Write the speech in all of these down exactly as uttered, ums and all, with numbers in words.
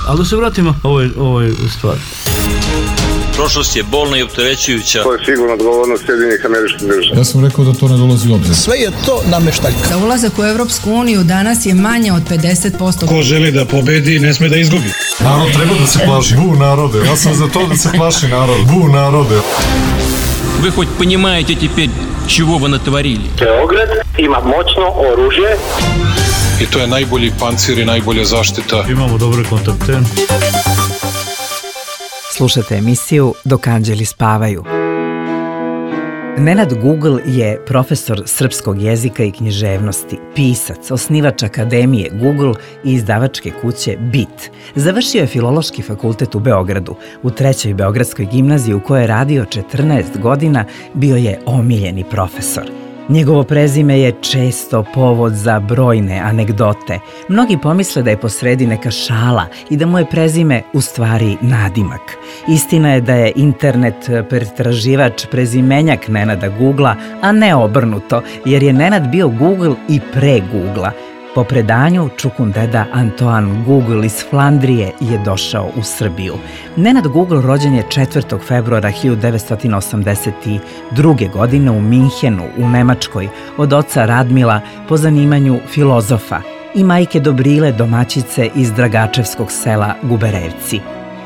Ali da se vratimo ovoj, ovoj stvari. Prošlost je bolna i opterećujuća. To je sigurno odgovornost Sjedinjenih Američkih Država. Ja sam rekao da to ne dolazi u obzir. Sve je to nameštaljka. Za ulazak u Evropsku uniju danas je manje od pedeset posto. Ko želi da pobedi, ne sme da izgubi. Narod treba da se plaši. Bu narode. Ja sam za to da se plaši narod. Bu narode. Вы хоть понимаете теперь, чего вы натворили? Beograd ima moćno oružje. I to je najbolji pancir i najbolja zaštita. Imamo dobre kontakte. Slušate emisiju Dok anđeli spavaju. Nenad Google je profesor srpskog jezika i književnosti, pisac, osnivač Akademije Google i izdavačke kuće Bit. Završio je Filološki fakultet u Beogradu. U trećoj Beogradskoj gimnaziji u kojoj je radio četrnaest godina bio je omiljeni profesor. Njegovo prezime je često povod za brojne anegdote. Mnogi pomisle da je posredi neka šala i da mu je prezime u stvari nadimak. Istina je da je internet pretraživač prezimenjak Nenada Googla, a ne obrnuto, jer je Nenad bio Google i pre Googla. Po predanju, čukundeda Antoine Google iz Flandrije je došao u Srbiju. Nenad Google rođen je četvrtog februara hiljadu devetsto osamdeset druge. godine u Minhenu, u Nemačkoj, od oca Radmila, po zanimanju filozofa, i majke Dobrile, domaćice iz Dragačevskog sela Guberevci.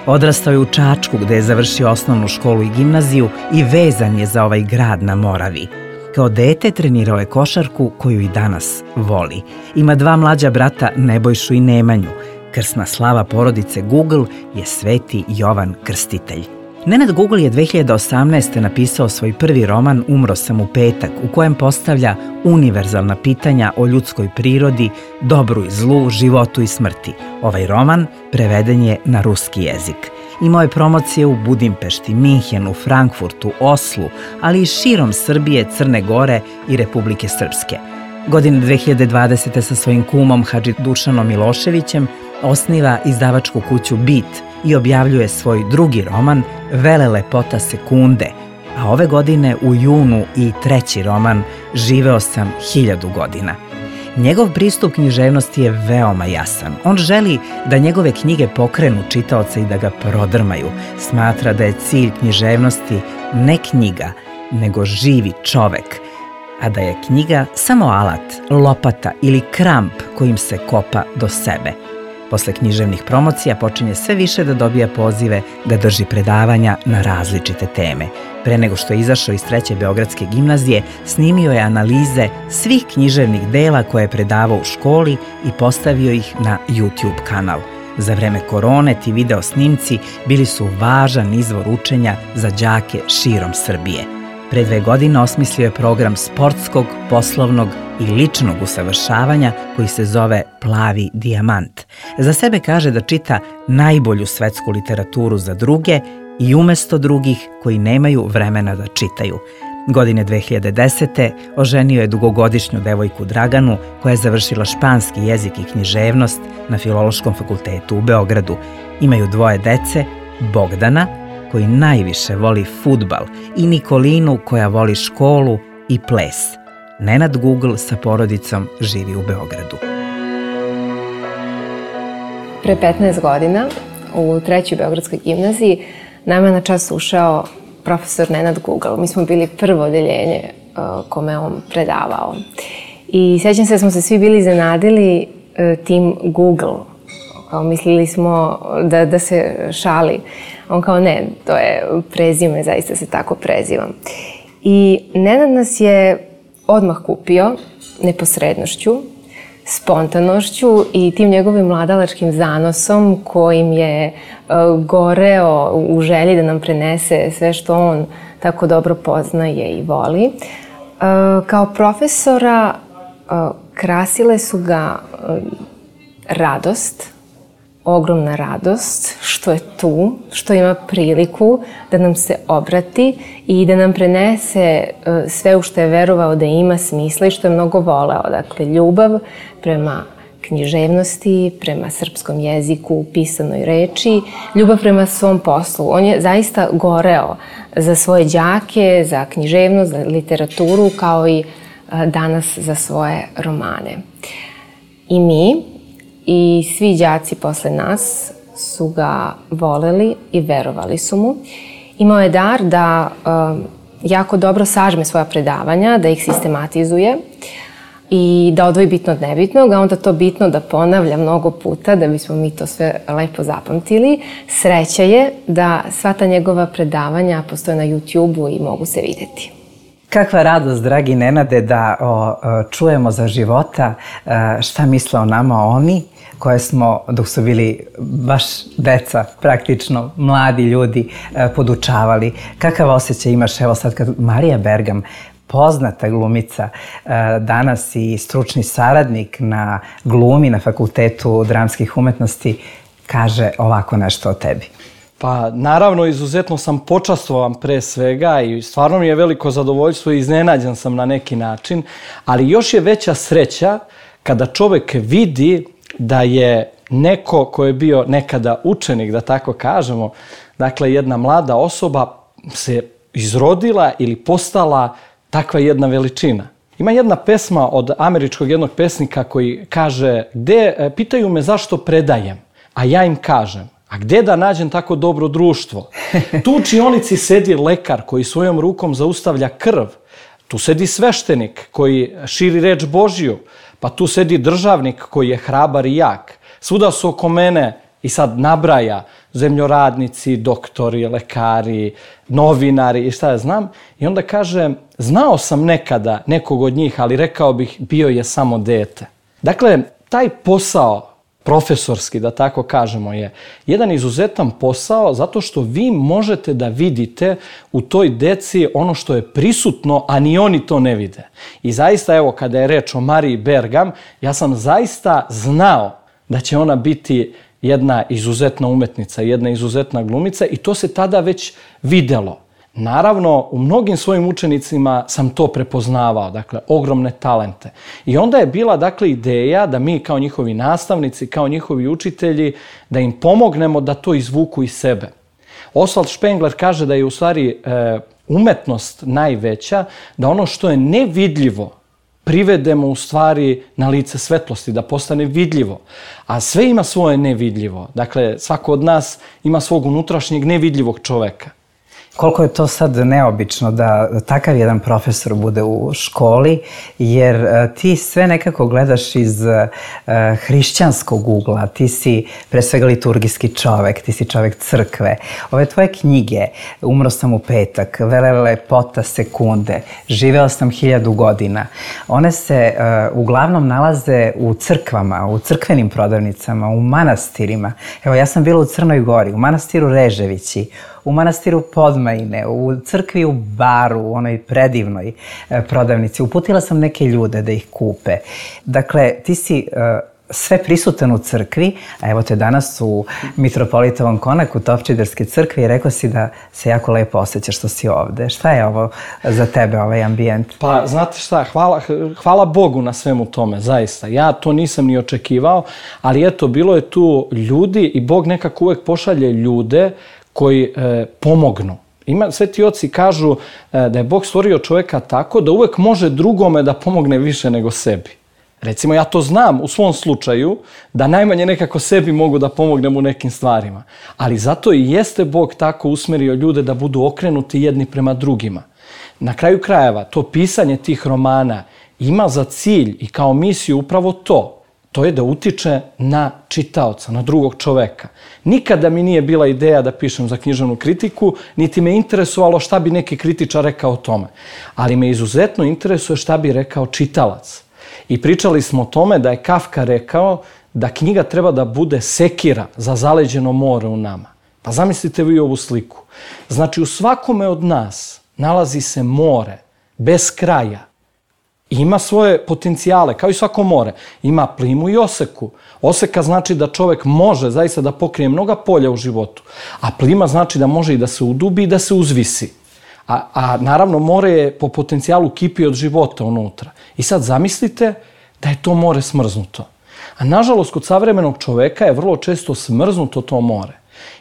Odrastao je u Čačku, gde je završio osnovnu školu i gimnaziju i vezan je za ovaj grad na Moravi. Kao dete trenirao je košarku koju i danas voli. Ima dva mlađa brata, Nebojšu i Nemanju. Krsna slava porodice Google je Sveti Jovan Krstitelj. Nenad Google je dve hiljade osamnaeste. napisao svoj prvi roman Umro sam u petak, u kojem postavlja univerzalna pitanja o ljudskoj prirodi, dobru i zlu, životu i smrti. Ovaj roman preveden je na ruski jezik. Imao je promocije u Budimpešti, Minhenu, Frankfurtu, Oslu, ali i širom Srbije, Crne Gore i Republike Srpske. Godine dve hiljade dvadesete. sa svojim kumom Hadži Dušanom Miloševićem osniva izdavačku kuću Bit i objavljuje svoj drugi roman Vele lepota sekunde, a ove godine u junu i treći roman Živeo sam hiljadu godina. Njegov pristup književnosti je veoma jasan. On želi da njegove knjige pokrenu čitaoca i da ga prodrmaju. Smatra da je cilj književnosti ne knjiga, nego živi čovek, a da je knjiga samo alat, lopata ili kramp kojim se kopa do sebe. Posle književnih promocija počinje sve više da dobija pozive da drži predavanja na različite teme. Pre nego što je izašao iz treće Beogradske gimnazije, snimio je analize svih književnih dela koje je predavao u školi i postavio ih na YouTube kanal. Za vreme korone ti video snimci bili su važan izvor učenja za đake širom Srbije. Pre dve godine osmislio je program sportskog, poslovnog i ličnog usavršavanja koji se zove Plavi dijamant. Za sebe kaže da čita najbolju svetsku literaturu za druge i umesto drugih koji nemaju vremena da čitaju. Godine dve hiljade desete. oženio je dugogodišnju devojku Draganu koja je završila španski jezik i književnost na Filološkom fakultetu u Beogradu. Imaju dvoje dece, Bogdana, koji najviše voli fudbal, i Nikolinu, koja voli školu i ples. Nenad Google sa porodicom živi u Beogradu. Pre petnaest godina u trećoj Beogradskoj gimnaziji nama na čas ušao profesor Nenad Google. Mi smo bili prvo odeljenje kome on predavao. I sjećam se da smo se svi bili iznenadili tim Google. Kao mislili smo da, da se šali. On kao ne, to je prezime, zaista se tako prezivam. I Nenad nas je odmah kupio neposrednošću, spontanošću i tim njegovim mladalačkim zanosom kojim je uh, goreo u želji da nam prenese sve što on tako dobro poznaje i voli. Uh, kao profesora uh, krasile su ga uh, radost, ogromna radost što je tu, što ima priliku da nam se obrati i da nam prenese sve u što je verovao da ima smisla i što je mnogo voleo. Dakle, ljubav prema književnosti, prema srpskom jeziku, pisanoj reči, ljubav prema svom poslu. On je zaista goreo za svoje đake, za književnost, za literaturu, kao i danas za svoje romane. I mi i svi đaci posle nas su ga voleli i verovali su mu. Imao je dar da um, jako dobro sažme svoja predavanja, da ih sistematizuje i da odvoji bitno od nebitnog, a onda to bitno da ponavlja mnogo puta da bismo mi to sve lepo zapamtili. Sreća je da sva ta njegova predavanja postoje na YouTube-u i mogu se videti. Kakva radost, dragi Nenade, da o, o, čujemo za života šta misle o nama oni koje smo, dok su bili baš deca, praktično mladi ljudi, podučavali. Kakav osjećaj imaš, evo sad kad Marija Bergam, poznata glumica, danas i stručni saradnik na glumi na Fakultetu dramskih umetnosti, kaže ovako nešto o tebi? Pa naravno, izuzetno sam počastvovan pre svega i stvarno mi je veliko zadovoljstvo i iznenađen sam na neki način, ali još je veća sreća kada čovek vidi da je neko ko je bio nekada učenik, da tako kažemo, dakle jedna mlada osoba se izrodila ili postala takva jedna veličina. Ima jedna pesma od američkog jednog pesnika koji kaže, gde, pitaju me zašto predajem, a ja im kažem, a gde da nađem tako dobro društvo? Tu u učionici sedi lekar koji svojom rukom zaustavlja krv, tu sedi sveštenik koji širi reč Božju, pa tu sedi državnik koji je hrabar i jak. Svuda su oko mene, i sad nabraja, zemljoradnici, doktori, lekari, novinari i šta ja znam. I onda kaže, znao sam nekada nekog od njih, ali rekao bih, bio je samo dete. Dakle, taj posao profesorski, da tako kažemo, je jedan izuzetan posao zato što vi možete da vidite u toj deci ono što je prisutno, a ni oni to ne vide. I zaista, evo, kada je reč o Mariji Bergam, ja sam zaista znao da će ona biti jedna izuzetna umetnica, jedna izuzetna glumica i to se tada već videlo. Naravno, u mnogim svojim učenicima sam to prepoznavao, dakle, ogromne talente. I onda je bila, dakle, ideja da mi kao njihovi nastavnici, kao njihovi učitelji, da im pomognemo da to izvuku iz sebe. Oswald Spengler kaže da je u stvari e, umetnost najveća, da ono što je nevidljivo privedemo u stvari na lice svetlosti, da postane vidljivo. A sve ima svoje nevidljivo. Dakle, svako od nas ima svog unutrašnjeg nevidljivog čoveka. Koliko je to sad neobično da takav jedan profesor bude u školi, jer ti sve nekako gledaš iz uh, hrišćanskog ugla, ti si pre svega liturgijski čovek, ti si čovek crkve. Ove tvoje knjige, Umro sam u petak, Vele lepota sekunde, Živeo sam hiljadu godina, one se uh, uglavnom nalaze u crkvama, u crkvenim prodavnicama, u manastirima. Evo, ja sam bila u Crnoj Gori, u manastiru Reževići, u manastiru Podmajine, u crkvi u Baru, u onoj predivnoj prodavnici. Uputila sam neke ljude da ih kupe. Dakle, ti si uh, sve prisutan u crkvi, a evo te danas u Mitropolitovom konaku Topčiderske crkve i rekao si da se jako lepo osjećaš što si ovde. Šta je ovo za tebe, ovaj ambijent? Pa, znate šta, hvala, hvala Bogu na svemu tome, zaista. Ja to nisam ni očekivao, ali eto, bilo je tu ljudi i Bog nekako uvek pošalje ljude koji e, pomognu. Ima, sveti oci kažu e, da je Bog stvorio čovjeka tako da uvek može drugome da pomogne više nego sebi. Recimo, ja to znam u svom slučaju, da najmanje nekako sebi mogu da pomognem u nekim stvarima. Ali zato i jeste Bog tako usmerio ljude da budu okrenuti jedni prema drugima. Na kraju krajeva, to pisanje tih romana ima za cilj i kao misiju upravo to. To je da utiče na čitaoca, na drugog čoveka. Nikada mi nije bila ideja da pišem za književnu kritiku, niti me interesovalo šta bi neki kritičar rekao o tome. Ali me izuzetno interesuje šta bi rekao čitalac. I pričali smo o tome da je Kafka rekao da knjiga treba da bude sekira za zaleđeno more u nama. Pa zamislite vi ovu sliku. Znači, u svakome od nas nalazi se more, bez kraja. Ima svoje potencijale, kao i svako more. Ima plimu i oseku. Oseka znači da čovek može zaista da pokrije mnoga polja u životu. A plima znači da može i da se udubi i da se uzvisi. A, a naravno, more je po potencijalu kipi od života unutra. I sad zamislite da je to more smrznuto. A nažalost, kod savremenog čoveka je vrlo često smrznuto to more.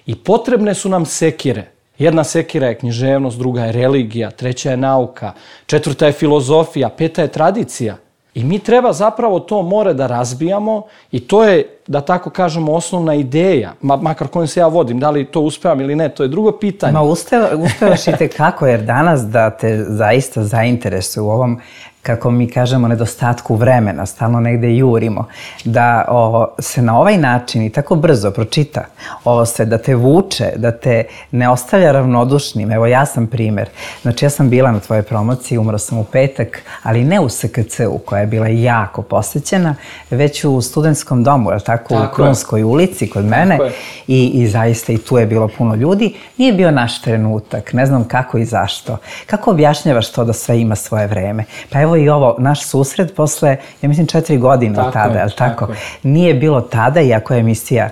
I potrebne su nam sekire. Jedna sekira je književnost, druga je religija, treća je nauka, četvrta je filozofija, peta je tradicija. I mi treba zapravo to more da razbijamo i to je, da tako kažemo, osnovna ideja, makar kojom se ja vodim, da li to uspevam ili ne, to je drugo pitanje. Ma uspevaš i tekako, jer danas da te zaista zainteresuje u ovom, kako mi kažemo, nedostatku vremena, stalno negde jurimo, da o, se na ovaj način i tako brzo pročita ovo sve, da te vuče, da te ne ostavlja ravnodušnim. Evo, ja sam primer. Znači, ja sam bila na tvojoj promociji, umro sam u petak, ali ne u S K C-u, koja je bila jako posećena, već u studentskom domu, je tako, tako u Krunskoj ulici kod mene. I, I zaista i tu je bilo puno ljudi. Nije bio naš trenutak, ne znam kako i zašto. Kako objašnjavaš to da sve ima svoje vreme? Pa evo i ovo, naš susret posle, ja mislim, četiri godine od tada, je li tako? Nije bilo tada, iako je emisija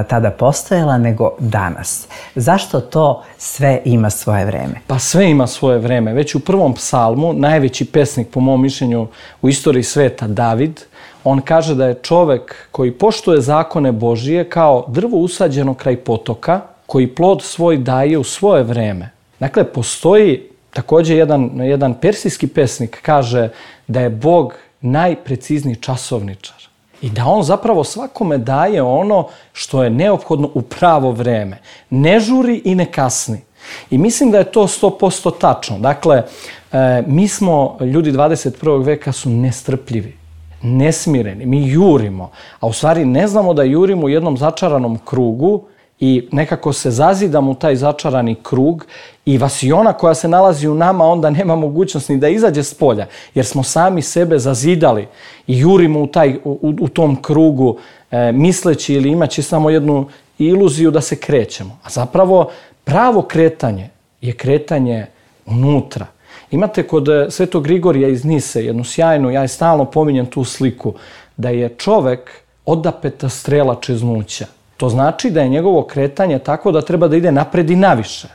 tada postojala, nego danas. Zašto to sve ima svoje vreme? Pa sve ima svoje vreme. Već u prvom psalmu, najveći pesnik, po mom mišljenju, u istoriji sveta, David, on kaže da je čovek koji poštuje zakone Božije kao drvo usađeno kraj potoka, koji plod svoj daje u svoje vreme. Dakle, postoji također jedan, jedan persijski pesnik kaže da je Bog najprecizniji časovničar i da on zapravo svakome daje ono što je neophodno u pravo vreme. Ne žuri i ne kasni. I mislim da je to sto posto tačno. Dakle, e, mi smo, ljudi dvadeset prvog veka su nestrpljivi, nesmireni, mi jurimo, a u stvari ne znamo da jurimo u jednom začaranom krugu i nekako se zazidamo u taj začarani krug i vasiona koja se nalazi u nama onda nema mogućnost ni da izađe s polja, jer smo sami sebe zazidali i jurimo u, taj, u, u tom krugu e, misleći ili imaći samo jednu iluziju da se krećemo. A zapravo pravo kretanje je kretanje unutra. Imate kod Svetog Grigorija iz Nise jednu sjajnu, ja je stalno pominjem tu sliku, da je čovek odapeta strela čeznuća. To znači da je njegovo kretanje tako da treba da ide napred i naviše.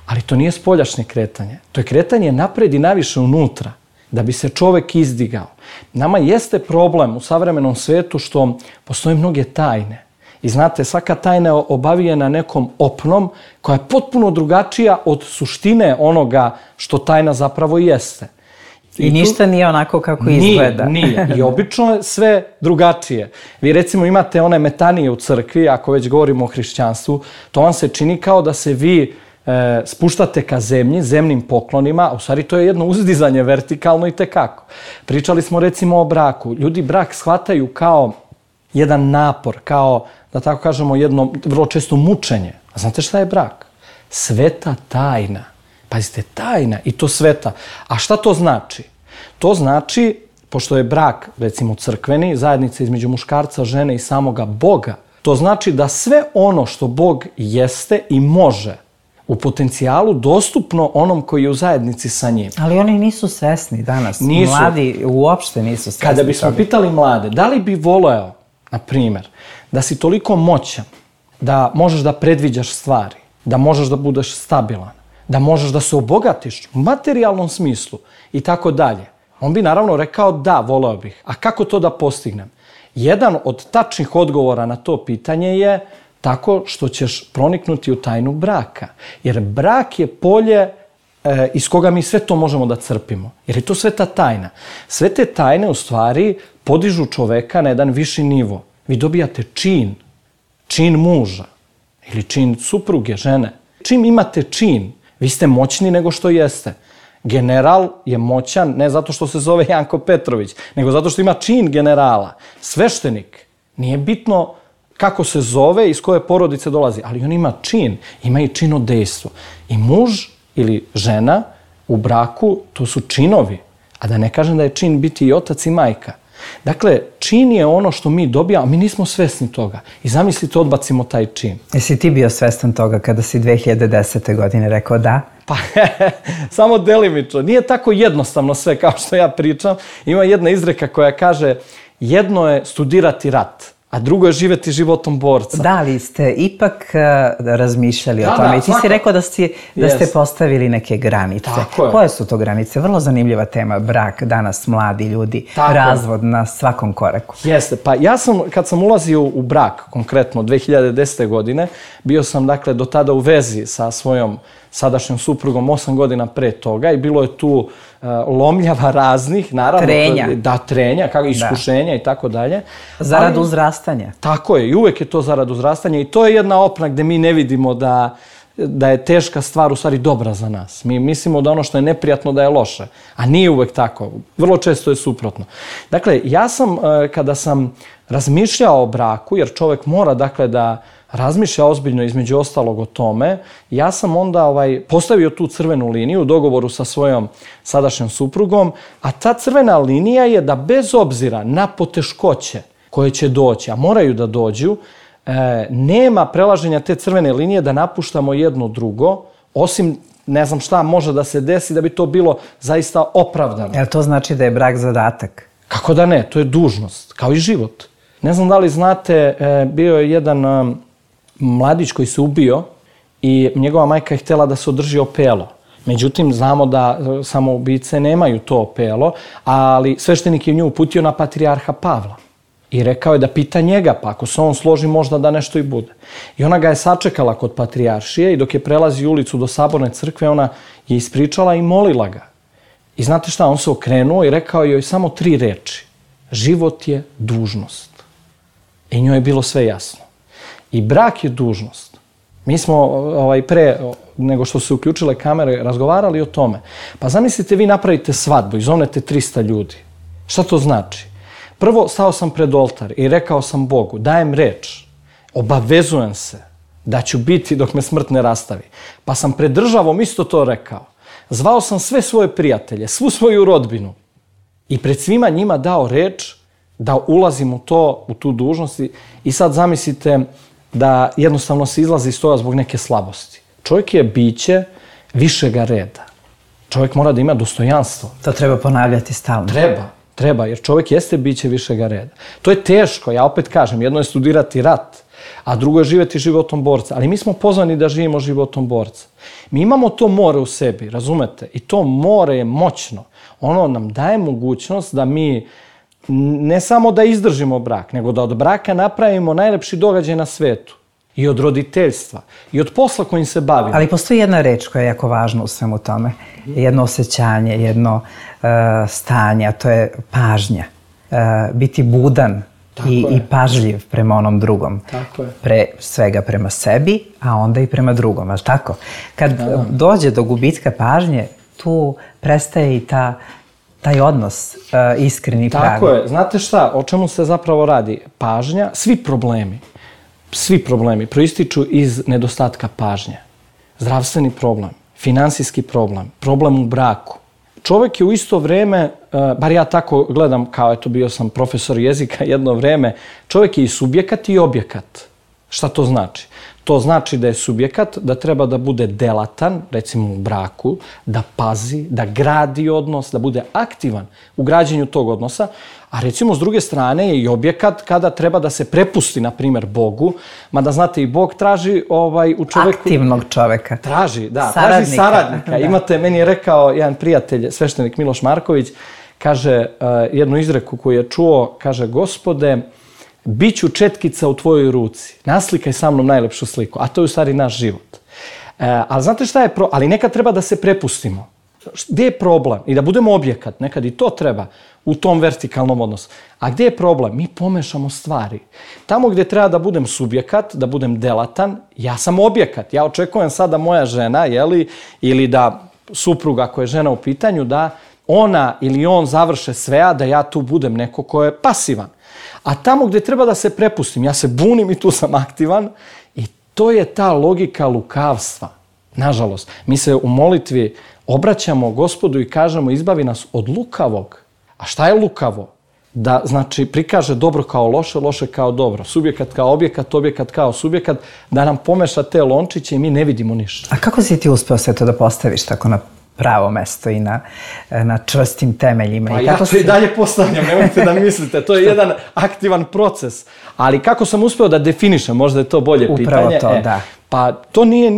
Ali to nije spoljašnje kretanje. To je kretanje napred i naviše unutra, da bi se čovek izdigao. Nama jeste problem u savremenom svetu što postoje mnoge tajne. I znate, svaka tajna je obavijena nekom opnom koja je potpuno drugačija od suštine onoga što tajna zapravo jeste. I, I ništa nije onako kako nije, izgleda. Nije, i obično je sve drugačije. Vi recimo imate one metanije u crkvi, ako već govorimo o hrišćanstvu, to vam se čini kao da se vi e, spuštate ka zemlji, zemnim poklonima, a u stvari to je jedno uzdizanje vertikalno i tekako. Pričali smo recimo o braku. Ljudi brak shvataju kao jedan napor, kao, da tako kažemo, jedno vrlo često mučenje. A znate šta je brak? Sveta tajna. Pazite, tajna i to sveta. A šta to znači? To znači, pošto je brak, recimo crkveni, zajednica između muškarca, žene i samoga Boga, to znači da sve ono što Bog jeste i može u potencijalu dostupno onom koji je u zajednici sa njim. Ali oni nisu svesni danas. Nisu. Mladi uopšte nisu svesni. Kada bismo pitali mlade, da li bi voleo, na primjer, da si toliko moćan, da možeš da predviđaš stvari, da možeš da budeš stabilan, da možeš da se obogatiš u materijalnom smislu i tako dalje. On bi naravno rekao da, voleo bih. A kako to da postignem? Jedan od tačnih odgovora na to pitanje je tako što ćeš proniknuti u tajnu braka. Jer brak je polje e, iz koga mi sve to možemo da crpimo. Jer je to sveta tajna. Sve te tajne u stvari podižu čoveka na jedan viši nivo. Vi dobijate čin, čin muža ili čin supruge, žene. Čim imate čin, vi ste moćni nego što jeste. General je moćan ne zato što se zove Janko Petrović, nego zato što ima čin generala. Sveštenik, nije bitno kako se zove, iz koje porodice dolazi, ali on ima čin, ima i činodejstvo. I muž ili žena u braku, to su činovi, a da ne kažem da je čin biti i otac i majka. Dakle, čin je ono što mi dobijamo, a mi nismo svesni toga. I zamislite, odbacimo taj čin. Jesi ti bio svestan toga kada si dve hiljade desete. godine rekao da? Pa, samo delimično. Nije tako jednostavno sve kao što ja pričam. Ima jedna izreka koja kaže jedno je studirati rat, a drugo je živjeti životom borca. Da, ali ste ipak uh, razmišljali da, o tome. Da, I ti si rekao da, si, da yes. ste postavili neke granice. Koje su to granice? Vrlo zanimljiva tema, brak, danas mladi ljudi, tako razvod na svakom koraku. Jeste, pa ja sam, kad sam ulazio u brak, konkretno dve hiljade desete. godine, bio sam dakle do tada u vezi sa svojom sadašnjom suprugom osam godina pre toga i bilo je tu uh, lomljava raznih, naravno. Trenja. Da, trenja, kako iskušenja i tako dalje. Zarad uzrastanja. Tako je, i uvek je to zarad uzrastanja i to je jedna opna gde mi ne vidimo da da je teška stvar u stvari dobra za nas. Mi mislimo da ono što je neprijatno da je loše, a nije uvek tako. Vrlo često je suprotno. Dakle, ja sam, kada sam razmišljao o braku, jer čovek mora, dakle, da razmišlja ozbiljno između ostalog o tome, ja sam onda ovaj, postavio tu crvenu liniju u dogovoru sa svojom sadašnjom suprugom, a ta crvena linija je da bez obzira na poteškoće koje će doći, a moraju da dođu, E, nema prelaženja te crvene linije da napuštamo jedno drugo, osim ne znam šta može da se desi da bi to bilo zaista opravdano. Jel to znači da je brak zadatak? Kako da ne, to je dužnost, kao i život. Ne znam da li znate, e, bio je jedan e, mladić koji se ubio i njegova majka je htjela da se održi opelo. Međutim, znamo da e, samoubice nemaju to opelo, ali sveštenik je nju uputio na patrijarha Pavla. I rekao je da pita njega, pa ako se on složi možda da nešto i bude. I ona ga je sačekala kod patrijaršije i dok je prelazi ulicu do Saborne crkve, ona je ispričala i molila ga. I znate šta, on se okrenuo i rekao joj samo tri reči. Život je dužnost. I njoj je bilo sve jasno. I brak je dužnost. Mi smo ovaj, pre nego što se uključile kamere razgovarali o tome. Pa zamislite, vi napravite svadbu i zovnete trista ljudi. Šta to znači? Prvo, stao sam pred oltar i rekao sam Bogu, dajem reč, obavezujem se da ću biti dok me smrt ne rastavi. Pa sam pred državom isto to rekao. Zvao sam sve svoje prijatelje, svu svoju rodbinu i pred svima njima dao reč da ulazim u to, u tu dužnost. I sad zamislite da jednostavno se izlazi iz toga zbog neke slabosti. Čovjek je biće višega reda. Čovjek mora da ima dostojanstvo. To treba ponavljati stalno. Treba. Treba, jer čovjek jeste biće višega reda. To je teško, ja opet kažem, jedno je studirati rat, a drugo je živjeti životom borca. Ali mi smo pozvani da živimo životom borca. Mi imamo to more u sebi, razumete? I to more je moćno. Ono nam daje mogućnost da mi ne samo da izdržimo brak, nego da od braka napravimo najlepši događaj na svetu. I od roditeljstva, i od posla kojim se bavimo. Ali postoji jedna reč koja je jako važna u svemu tome. Jedno osjećanje, jedno uh, stanje, a to je pažnja. Uh, biti budan i, i pažljiv prema onom drugom. Tako je. Pre svega prema sebi, a onda i prema drugom, ali tako? Kad da. dođe do gubitka pažnje, tu prestaje i ta, taj odnos uh, iskreni pravi. Tako je. Znate šta, o čemu se zapravo radi? Pažnja, svi problemi. Svi problemi proističu iz nedostatka pažnje. Zdravstveni problem, finansijski problem, problem u braku. Čovjek je u isto vrijeme, bar ja tako gledam, kao eto bio sam profesor jezika jedno vrijeme, čovjek je i subjekat i objekat. Šta to znači? To znači da je subjekat, da treba da bude delatan, recimo u braku, da pazi, da gradi odnos, da bude aktivan u građenju tog odnosa, a recimo s druge strane je i objekat kada treba da se prepusti, na primjer, Bogu, mada znate i Bog traži ovaj, u čoveku... Aktivnog čoveka. Traži, da, saradnika. traži saradnika. Da. Imate, meni je rekao jedan prijatelj, sveštenik Miloš Marković, kaže uh, jednu izreku koju je čuo, kaže, Gospode, biću četkica u tvojoj ruci, naslikaj sa mnom najlepšu sliku, a to je u stvari naš život. E, ali znate šta je pro... Ali nekad treba da se prepustimo. Gdje je problem? I da budemo objekat, nekad i to treba u tom vertikalnom odnosu. A gdje je problem? Mi pomešamo stvari. Tamo gdje treba da budem subjekat, da budem delatan, ja sam objekat. Ja očekujem sada moja žena, jeli, ili da supruga koja je žena u pitanju, da ona ili on završe sve, a da ja tu budem neko ko je pasivan. A tamo gdje treba da se prepustim, ja se bunim i tu sam aktivan i to je ta logika lukavstva. Nažalost, mi se u molitvi obraćamo Gospodu i kažemo izbavi nas od lukavog. A šta je lukavo? Da, znači, prikaže dobro kao loše, loše kao dobro. Subjekat kao objekat, objekat kao subjekat, da nam pomeša te lončiće i mi ne vidimo ništa. A kako si ti uspeo sve to da postaviš tako na pravo mesto i na, na čvrstim temeljima? Pa I ja kako to si... i dalje postavljam, nemojte da mislite. To je jedan aktivan proces. Ali kako sam uspeo da definišem, možda je to bolje Upravo pitanje. Upravo to, e, da. Pa to nije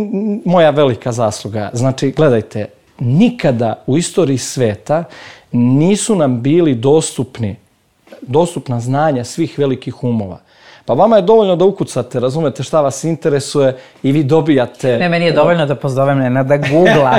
moja velika zasluga. Znači, gledajte, nikada u istoriji sveta nisu nam bili dostupni, dostupna znanja svih velikih umova. Pa vama je dovoljno da ukucate, razumete šta vas interesuje i vi dobijate... Ne, meni je dovoljno da pozovem Nenada Googla.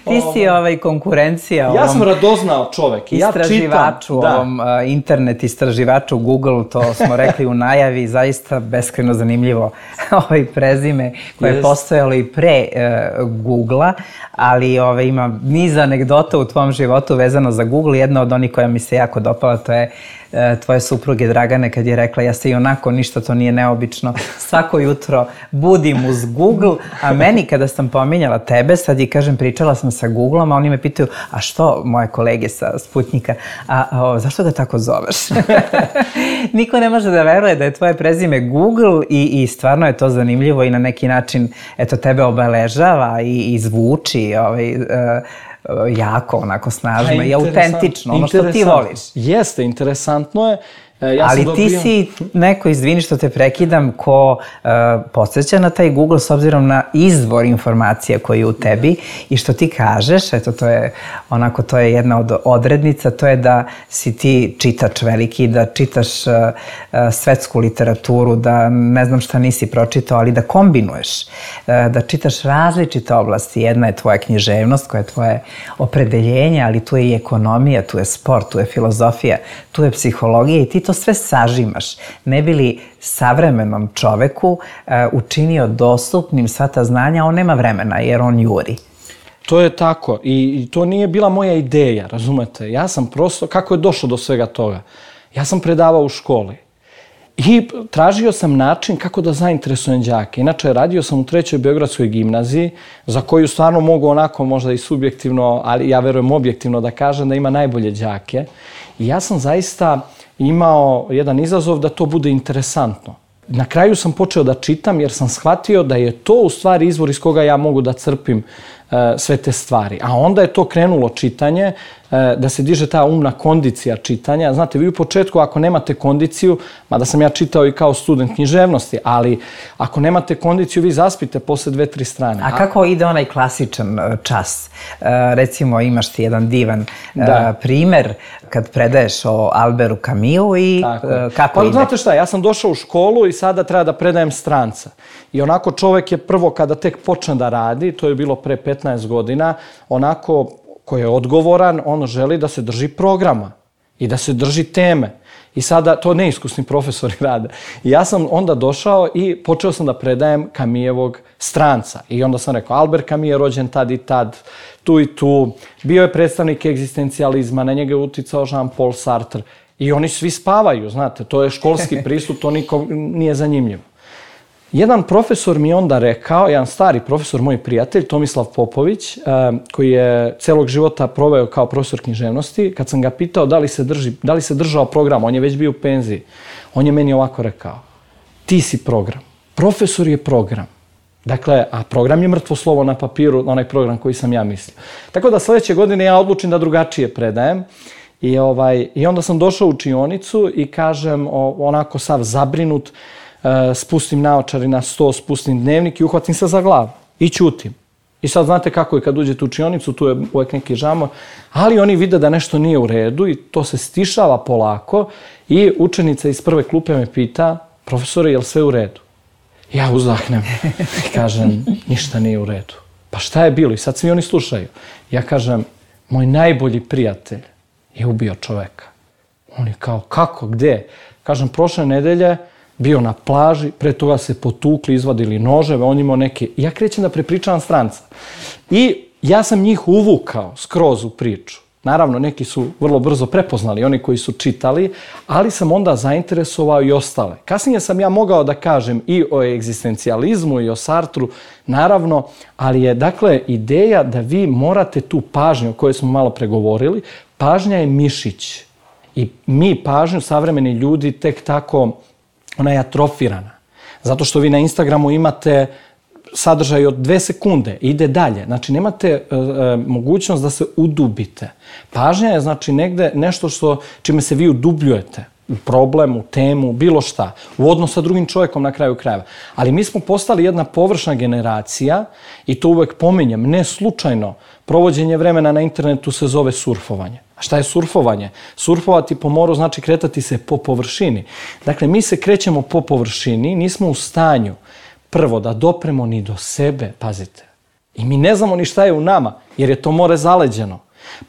Ti si ovaj konkurencija ja sam radoznao čovek i ja čitam. Istraživaču, ovom uh, internet istraživaču Google, to smo rekli u najavi, zaista beskrajno zanimljivo ovaj prezime koje je postojalo i pre uh, Googla, ali ovaj, ima niz anegdota u tvom životu vezano za Google. Jedna od onih koja mi se jako dopala, to je tvoje supruge Dragane kad je rekla ja se i onako ništa to nije neobično, svako jutro budim uz Google, a meni kada sam pominjala tebe, sad i kažem pričala sam sa Googlom, a oni me pitaju a što moje kolege sa Sputnika, a, a zašto ga tako zoveš? Niko ne može da veruje da je tvoje prezime Google i, i stvarno je to zanimljivo i na neki način eto tebe obeležava i, i zvuči ovaj, uh, jako, onako snažno i autentično, ono što ti voliš. Jeste, interesantno je. Ja ali dobio... ti si neko, izvini što te prekidam, ko uh, podsjeća na taj Google s obzirom na izvor informacija koji je u tebi i što ti kažeš, eto to je onako, to je jedna od odrednica, to je da si ti čitač veliki, da čitaš uh, uh, svetsku literaturu, da ne znam šta nisi pročitao, ali da kombinuješ, uh, da čitaš različite oblasti. Jedna je tvoja književnost, koja je tvoje opredeljenje, ali tu je i ekonomija, tu je sport, tu je filozofija, tu je psihologija i ti to sve sažimaš, ne bi li savremenom čoveku uh, učinio dostupnim sva ta znanja, on nema vremena jer on juri. To je tako i, i to nije bila moja ideja, razumete? Ja sam prosto, kako je došlo do svega toga? Ja sam predavao u školi i tražio sam način kako da zainteresujem đake. Inače, radio sam u trećoj Beogradskoj gimnaziji, za koju stvarno mogu onako možda i subjektivno, ali ja verujem objektivno da kažem da ima najbolje đake. I ja sam zaista imao jedan izazov da to bude interesantno. Na kraju sam počeo da čitam jer sam shvatio da je to u stvari izvor iz koga ja mogu da crpim uh, sve te stvari. A onda je to krenulo čitanje, uh, da se diže ta umna kondicija čitanja. Znate, vi u početku ako nemate kondiciju, mada sam ja čitao i kao student književnosti, ali ako nemate kondiciju, vi zaspite posle dve, tri strane. A kako ide onaj klasičan čas? Uh, recimo, imaš ti jedan divan uh, primer kad predaješ o Alberu Camusu i uh, kako pa, ide? Znate šta, ja sam došao u školu i sada treba da predajem stranca. I onako čovek je prvo kada tek počne da radi, to je bilo pre petnaest godina, onako ko je odgovoran, on želi da se drži programa i da se drži teme. I sada to neiskusni profesori rade. I ja sam onda došao i počeo sam da predajem Camusevog stranca. I onda sam rekao, Albert Camus je rođen tad i tad, tu i tu, bio je predstavnik egzistencijalizma, na njega je uticao Jean-Paul Sartre. I oni svi spavaju, znate, to je školski pristup, to nikom nije zanimljivo. Jedan profesor mi je onda rekao, jedan stari profesor, moj prijatelj, Tomislav Popović, koji je celog života proveo kao profesor književnosti, kad sam ga pitao da li se, drži, da li se držao program, on je već bio u penziji, on je meni ovako rekao, ti si program, profesor je program. Dakle, a program je mrtvo slovo na papiru, onaj program koji sam ja mislio. Tako da sledeće godine ja odlučim da drugačije predajem. I, ovaj, I onda sam došao u učionicu i kažem, o, onako sav zabrinut, e, spustim naočari na sto, spustim dnevnik i uhvatim se za glavu i ćutim. I sad znate kako je kad uđete u učionicu, tu je uvek neki žamor, ali oni vide da nešto nije u redu i to se stišava polako i učenica iz prve klupe me pita, profesore, je li sve u redu? Ja uzdahnem i kažem, ništa nije u redu. Pa šta je bilo? I sad svi oni slušaju. Ja kažem, moj najbolji prijatelj je ubio čoveka. On je kao, kako, gde? Kažem, prošle nedelje bio na plaži, pre toga se potukli, izvadili noževe, on imao neke... Ja krećem da prepričavam stranca. I ja sam njih uvukao skroz u priču. Naravno, neki su vrlo brzo prepoznali, oni koji su čitali, ali sam onda zainteresovao i ostale. Kasnije sam ja mogao da kažem i o egzistencijalizmu i o Sartru, naravno, ali je, dakle, ideja da vi morate tu pažnju o kojoj smo malo pregovorili, pažnja je mišić. I mi pažnju, savremeni ljudi, tek tako, ona je atrofirana. Zato što vi na Instagramu imate sadržaj od dve sekunde, ide dalje. Znači, nemate e, e, mogućnost da se udubite. Pažnja je, znači, negde nešto što, čime se vi udubljujete. U problem, u temu, bilo šta. U odnos sa drugim čovjekom na kraju krajeva. Ali mi smo postali jedna površna generacija i to uvek pominjem, ne slučajno. Provođenje vremena na internetu se zove surfovanje. A šta je surfovanje? Surfovati po moru znači kretati se po površini. Dakle, mi se krećemo po površini, nismo u stanju prvo da dopremo ni do sebe, pazite. I mi ne znamo ni šta je u nama, jer je to more zaleđeno.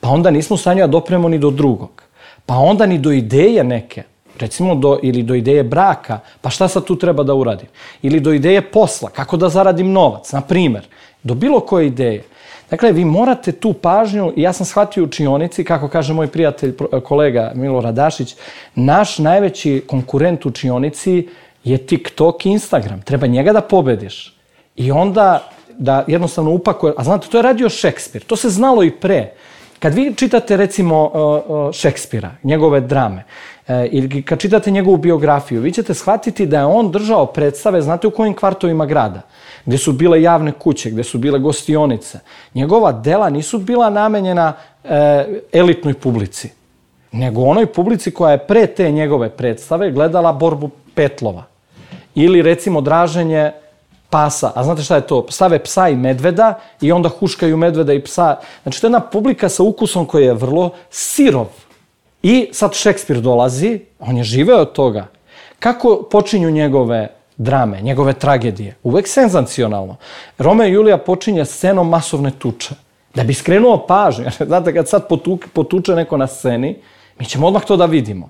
Pa onda nismo u stanju da dopremo ni do drugog. Pa onda ni do ideje neke. Recimo, do, ili do ideje braka, pa šta sad tu treba da uradim? Ili do ideje posla, kako da zaradim novac, na primer. Do bilo koje ideje. Dakle, vi morate tu pažnju, i ja sam shvatio u učionici, kako kaže moj prijatelj, kolega Milorad Dašić, naš najveći konkurent u učionici je TikTok i Instagram. Treba njega da pobediš. I onda da jednostavno upakuje, a znate, to je radio Šekspir, to se znalo i pre. Kad vi čitate, recimo, Šekspira, njegove drame, ili kad čitate njegovu biografiju, vi ćete shvatiti da je on držao predstave, znate u kojim kvartovima grada, gde su bile javne kuće, gde su bile gostionice. Njegova dela nisu bila namenjena elitnoj publici, nego onoj publici koja je pre te njegove predstave gledala borbu petlova. Ili, recimo, draženje pasa. A znate šta je to? Stave psa i medveda i onda huškaju medveda i psa. Znači, to je jedna publika sa ukusom koji je vrlo sirov. I sad Šekspir dolazi, on je živeo od toga. Kako počinju njegove drame, njegove tragedije? Uvek senzacionalno. Romeo i Julija počinje scenom masovne tuče. Da bi skrenuo pažnju. Znate, kad sad potuče, potuče neko na sceni, mi ćemo odmah to da vidimo.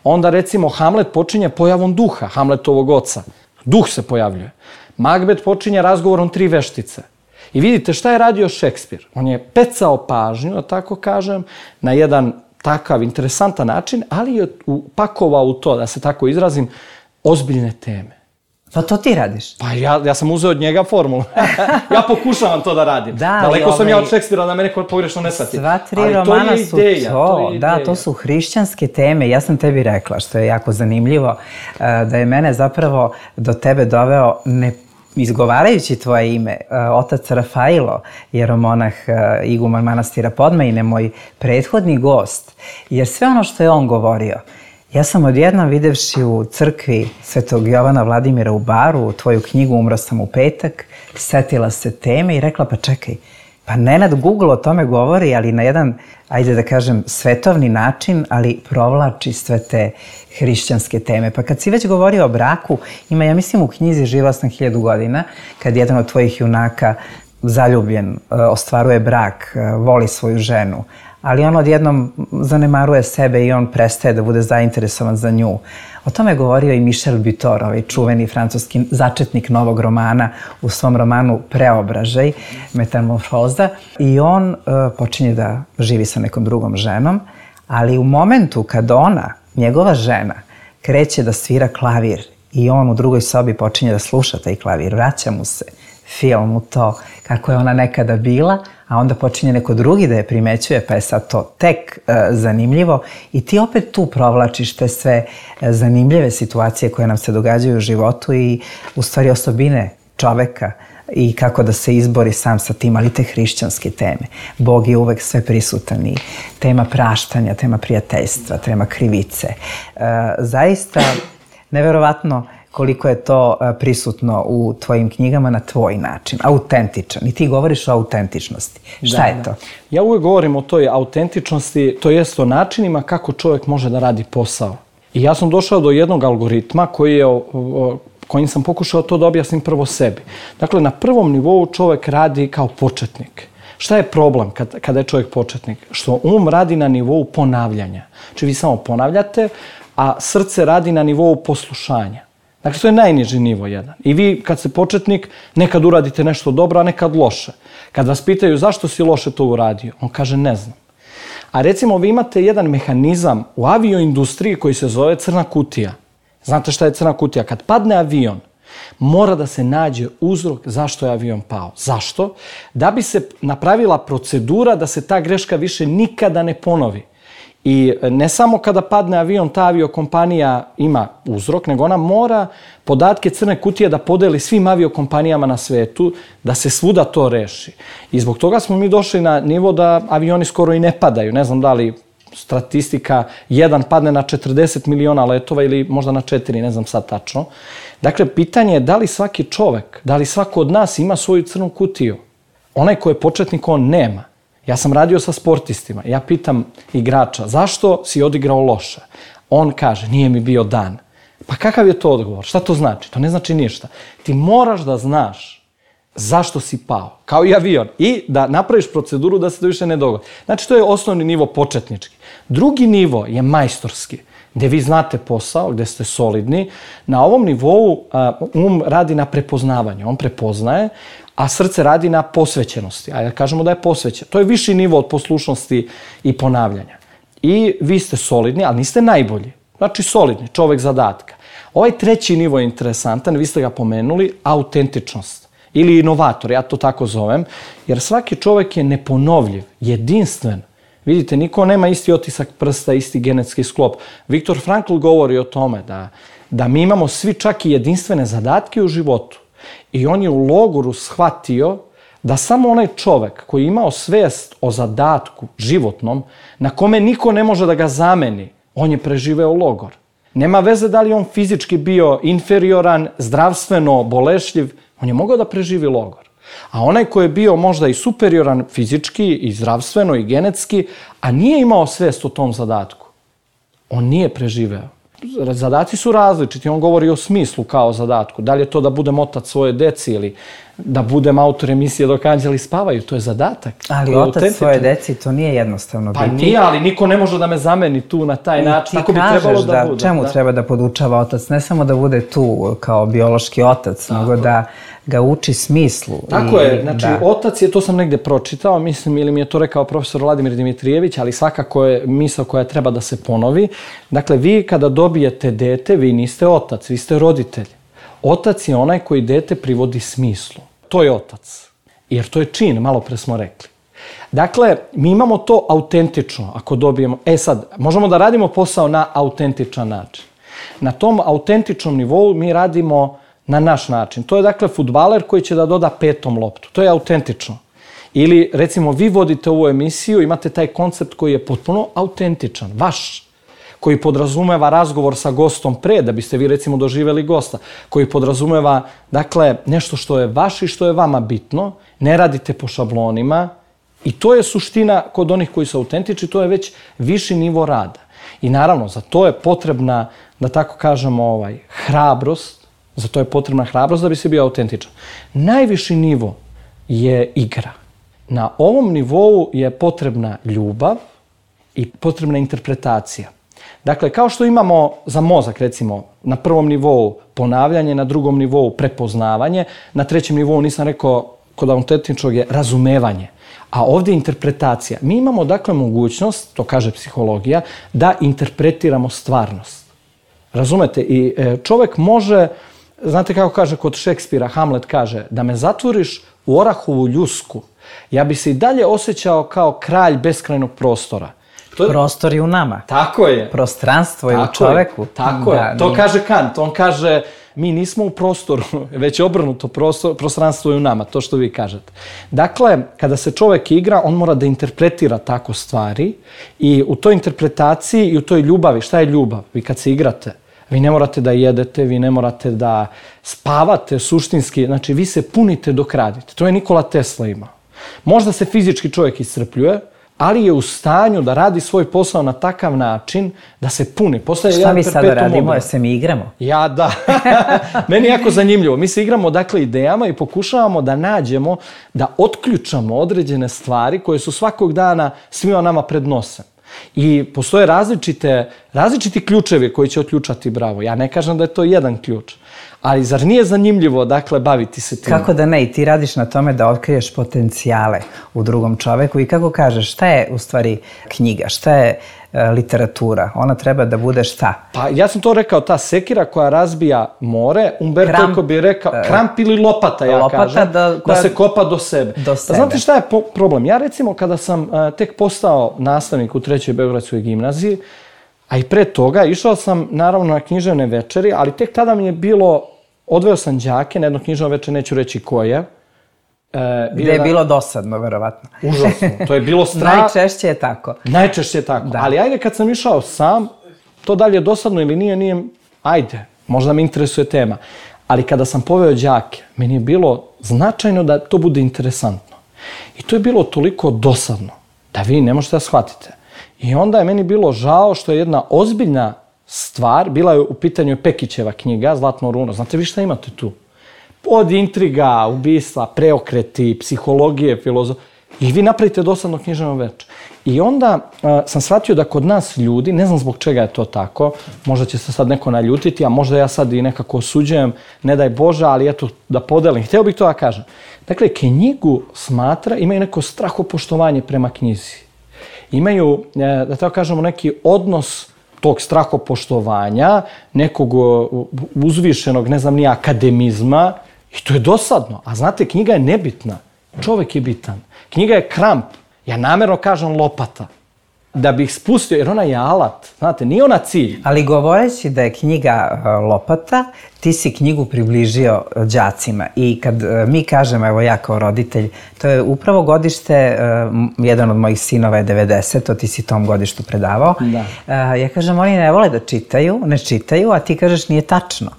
Onda, recimo, Hamlet počinje pojavom duha, Hamletovog oca. Duh se pojavljuje. Macbeth počinje razgovorom tri veštice. I vidite šta je radio Šekspir. On je pecao pažnju, da tako kažem, na jedan takav interesantan način, ali je upakovao u to, da se tako izrazim, ozbiljne teme. Pa to ti radiš? Pa ja, ja sam uzeo od njega formulu. Ja pokušavam to da radim. Da, daleko sam ovaj, ja od Šekspira da me neko pogrešno ne shvati. Sva tri ali romana to su ideja, to. to je da, to su hrišćanske teme. Ja sam tebi rekla, što je jako zanimljivo, da je mene zapravo do tebe doveo ne izgovarajući tvoje ime, otac Rafailo, jeromonah iguman manastira Podmajine, moj prethodni gost, jer sve ono što je on govorio, ja sam odjednom videvši u crkvi Svetog Jovana Vladimira u Baru, tvoju knjigu Umro sam u petak, setila se teme i rekla, pa čekaj, pa Nenad Google o tome govori, ali na jedan, ajde da kažem, svetovni način, ali provlači sve te hrišćanske teme. Pa kad si već govorio o braku, ima, ja mislim, u knjizi Živao sam hiljadu godina, kad jedan od tvojih junaka, zaljubljen, ostvaruje brak, voli svoju ženu, ali on odjednom zanemaruje sebe i on prestaje da bude zainteresovan za nju. O tome je govorio i Michel Butor, ovaj čuveni francuski začetnik novog romana u svom romanu Preobražaj, Metamorfoza. I on uh, počinje da živi sa nekom drugom ženom, ali u momentu kad ona, njegova žena, kreće da svira klavir i on u drugoj sobi počinje da sluša taj klavir, vraća mu se film u to kako je ona nekada bila, a onda počinje neko drugi da je primećuje, pa je sad to tek e, zanimljivo i ti opet tu provlačiš te sve e, zanimljive situacije koje nam se događaju u životu i u stvari osobine čoveka i kako da se izbori sam sa tim, ali te hrišćanske teme. Bog je uvek sve prisutan i tema praštanja, tema prijateljstva, tema krivice. E, zaista, neverovatno koliko je to prisutno u tvojim knjigama na tvoj način, autentičan. I ti govoriš o autentičnosti. Šta da, je to? Da. Ja uvek govorim o toj autentičnosti, to jest o načinima kako čovjek može da radi posao. I ja sam došao do jednog algoritma koji je, kojim sam pokušao to da objasnim prvo sebi. Dakle, na prvom nivou čovjek radi kao početnik. Šta je problem kad, kada je čovjek početnik? Što um radi na nivou ponavljanja. Znači vi samo ponavljate, a srce radi na nivou poslušanja. Dakle, to je najniži nivo jedan. I vi, kad ste početnik, nekad uradite nešto dobro, a nekad loše. Kad vas pitaju zašto si loše to uradio, on kaže ne znam. A recimo, vi imate jedan mehanizam u avioindustriji koji se zove crna kutija. Znate šta je crna kutija? Kad padne avion, mora da se nađe uzrok zašto je avion pao. Zašto? Da bi se napravila procedura da se ta greška više nikada ne ponovi. I ne samo kada padne avion, ta aviokompanija ima uzrok, nego ona mora podatke crne kutije da podeli svim aviokompanijama na svetu, da se svuda to reši. I zbog toga smo mi došli na nivo da avioni skoro i ne padaju. Ne znam da li statistika jedan padne na četrdeset miliona letova ili možda na četiri, ne znam sad tačno. Dakle, pitanje je da li svaki čovek, da li svako od nas ima svoju crnu kutiju. Onaj ko je početnik, on nema. Ja sam radio sa sportistima. Ja pitam igrača, zašto si odigrao loše? On kaže, nije mi bio dan. Pa kakav je to odgovor? Šta to znači? To ne znači ništa. Ti moraš da znaš zašto si pao, kao i avion, i da napraviš proceduru da se to više ne dogodi. Znači, to je osnovni nivo početnički. Drugi nivo je majstorski, gde vi znate posao, gde ste solidni. Na ovom nivou um radi na prepoznavanju, on prepoznaje, a srce radi na posvećenosti. Ajde da kažemo da je posvećen. To je viši nivo od poslušnosti i ponavljanja. I vi ste solidni, ali niste najbolji. Znači, solidni, čovek zadatka. Ovaj treći nivo je interesantan, vi ste ga pomenuli, autentičnost. Ili inovator, ja to tako zovem, jer svaki čovek je neponovljiv, jedinstven. Vidite, niko nema isti otisak prsta, isti genetski sklop. Viktor Frankl govori o tome da, da mi imamo svi čak i jedinstvene zadatke u životu. I on je u logoru shvatio da samo onaj čovek koji je imao svest o zadatku životnom, na kome niko ne može da ga zameni, on je preživeo logor. Nema veze da li on fizički bio inferioran, zdravstveno bolešljiv, on je mogao da preživi logor. A onaj koji je bio možda i superioran fizički, i zdravstveno, i genetski, a nije imao svest o tom zadatku, on nije preživeo. Zadaci su različiti, on govori o smislu kao zadatku. Da li je to da budem otac svoje deci ili da budem autor emisije Dok anđeli spavaju, to je zadatak. Ali otac svoje deci, to nije jednostavno biti. Pa nije, ali niko ne može da me zameni tu na taj način. Tako bi trebalo da bude. Čemu treba da podučava otac? Ne samo da bude tu kao biološki otac, nego da ga uči smislu. Tako je, znači otac je, to sam negde pročitao, mislim, ili mi je to rekao profesor Vladimir Dimitrijević, ali svakako je misao koja treba da se ponovi. Dakle, vi kada dobijete dete, vi niste otac, vi ste roditelj. Otac je onaj koji dete privodi smislu. To je otac. Jer to je čin, malo pre smo rekli. Dakle, mi imamo to autentično, ako dobijemo... E sad, možemo da radimo posao na autentičan način. Na tom autentičnom nivou mi radimo na naš način. To je, dakle, fudbaler koji će da doda petom loptu. To je autentično. Ili, recimo, vi vodite ovu emisiju, imate taj koncept koji je potpuno autentičan, vaš, koji podrazumeva razgovor sa gostom pre, da biste vi, recimo, doživeli gosta, koji podrazumeva, dakle, nešto što je vaš i što je vama bitno, ne radite po šablonima, i to je suština kod onih koji su autentični, to je već viši nivo rada. I naravno, za to je potrebna, da tako kažemo, ovaj, hrabrost, za to je potrebna hrabrost da bi se bio autentičan. Najviši nivo je igra. Na ovom nivou je potrebna ljubav i potrebna interpretacija. Dakle, kao što imamo za mozak, recimo, na prvom nivou ponavljanje, na drugom nivou prepoznavanje, na trećem nivou, nisam rekao, kod autentičnog je razumevanje, a ovdje je interpretacija. Mi imamo, dakle, mogućnost, to kaže psihologija, da interpretiramo stvarnost. Razumete? I čovek može, znate kako kaže kod Šekspira, Hamlet kaže, da me zatvoriš u orahovu ljusku, ja bi se i dalje osjećao kao kralj beskrajnog prostora. Je... Prostor je u nama. Tako je. Prostranstvo je u čoveku. Je. Tako da, je. To nije... kaže Kant. On kaže, mi nismo u prostoru, već obrnuto, prostor, prostranstvo je u nama, to što vi kažete. Dakle, kada se čovek igra, on mora da interpretira tako stvari i u toj interpretaciji i u toj ljubavi, šta je ljubav? Vi kad se igrate, vi ne morate da jedete, vi ne morate da spavate suštinski, znači vi se punite dok radite. To je Nikola Tesla imao. Možda se fizički čovjek iscrpljuje, ali je u stanju da radi svoj posao na takav način da se puni. Postaje šta mi sada radimo? Jer se mi igramo? Ja, da. Meni je jako zanimljivo. Mi se igramo, dakle, idejama i pokušavamo da nađemo, da otključamo određene stvari koje su svakog dana svima nama pred nosem. I postoje različite, različiti ključevi koji će otključati bravo. Ja ne kažem da je to jedan ključ. Ali zar nije zanimljivo, dakle, baviti se tim? Kako da ne? I ti radiš na tome da otkriješ potencijale u drugom čoveku. I kako kažeš, šta je u stvari knjiga? Šta je e, literatura? Ona treba da bude šta? Pa ja sam to rekao, ta sekira koja razbija more, Umberto Eco Kramp, bi rekao, kramp ili lopata, ja lopata kažem, da, koja, da se kopa do sebe. Do sebe. Znate šta je po, problem? Ja, recimo, kada sam uh, tek postao nastavnik u trećoj Beogradskoj gimnaziji, a i pre toga išao sam, naravno, na književne večeri, ali tek tada mi je bilo, odveo sam đake na jedno književno večer, neću reći koje. E, Gde je bilo dosadno, verovatno. Užasno, to je bilo strah. Najčešće je tako. Najčešće je tako, da. Ali ajde kad sam išao sam, to da li je dosadno ili nije, nije, ajde, možda me interesuje tema. Ali kada sam poveo đake, meni je bilo značajno da to bude interesantno. I to je bilo toliko dosadno da vi ne možete da shvatite. I onda je meni bilo žao što je jedna ozbiljna stvar, bila je u pitanju Pekićeva knjiga, Zlatno runo. Znate vi šta imate tu? Od intriga, ubistva, preokreti, psihologije, filozofije. I vi napravite dosadno književno veče. I onda uh, sam shvatio da kod nas ljudi, ne znam zbog čega je to tako, možda će se sad neko naljutiti, a možda ja sad i nekako osuđujem, ne daj Bože, ali eto da podelim. Hteo bih to da kažem. Dakle, knjigu smatra, imaju neko strahopoštovanje prema knjizi. Imaju, da tako kažemo, neki odnos tog strahopoštovanja, nekog uzvišenog, ne znam ni akademizma, i to je dosadno. A znate, knjiga je nebitna. Čovek je bitan. Knjiga je kramp. Ja namjerno kažem lopata. Da bih spustio, jer ona je alat. Znate, nije ona cilj. Ali govoreći da je knjiga lopata, ti si knjigu približio đacima. I kad mi kažemo, evo ja kao roditelj, to je upravo godište, jedan od mojih sinova je devedeseto, ti si tom godištu predavao. Da. Ja kažem, oni ne vole da čitaju, ne čitaju, a ti kažeš nije tačno.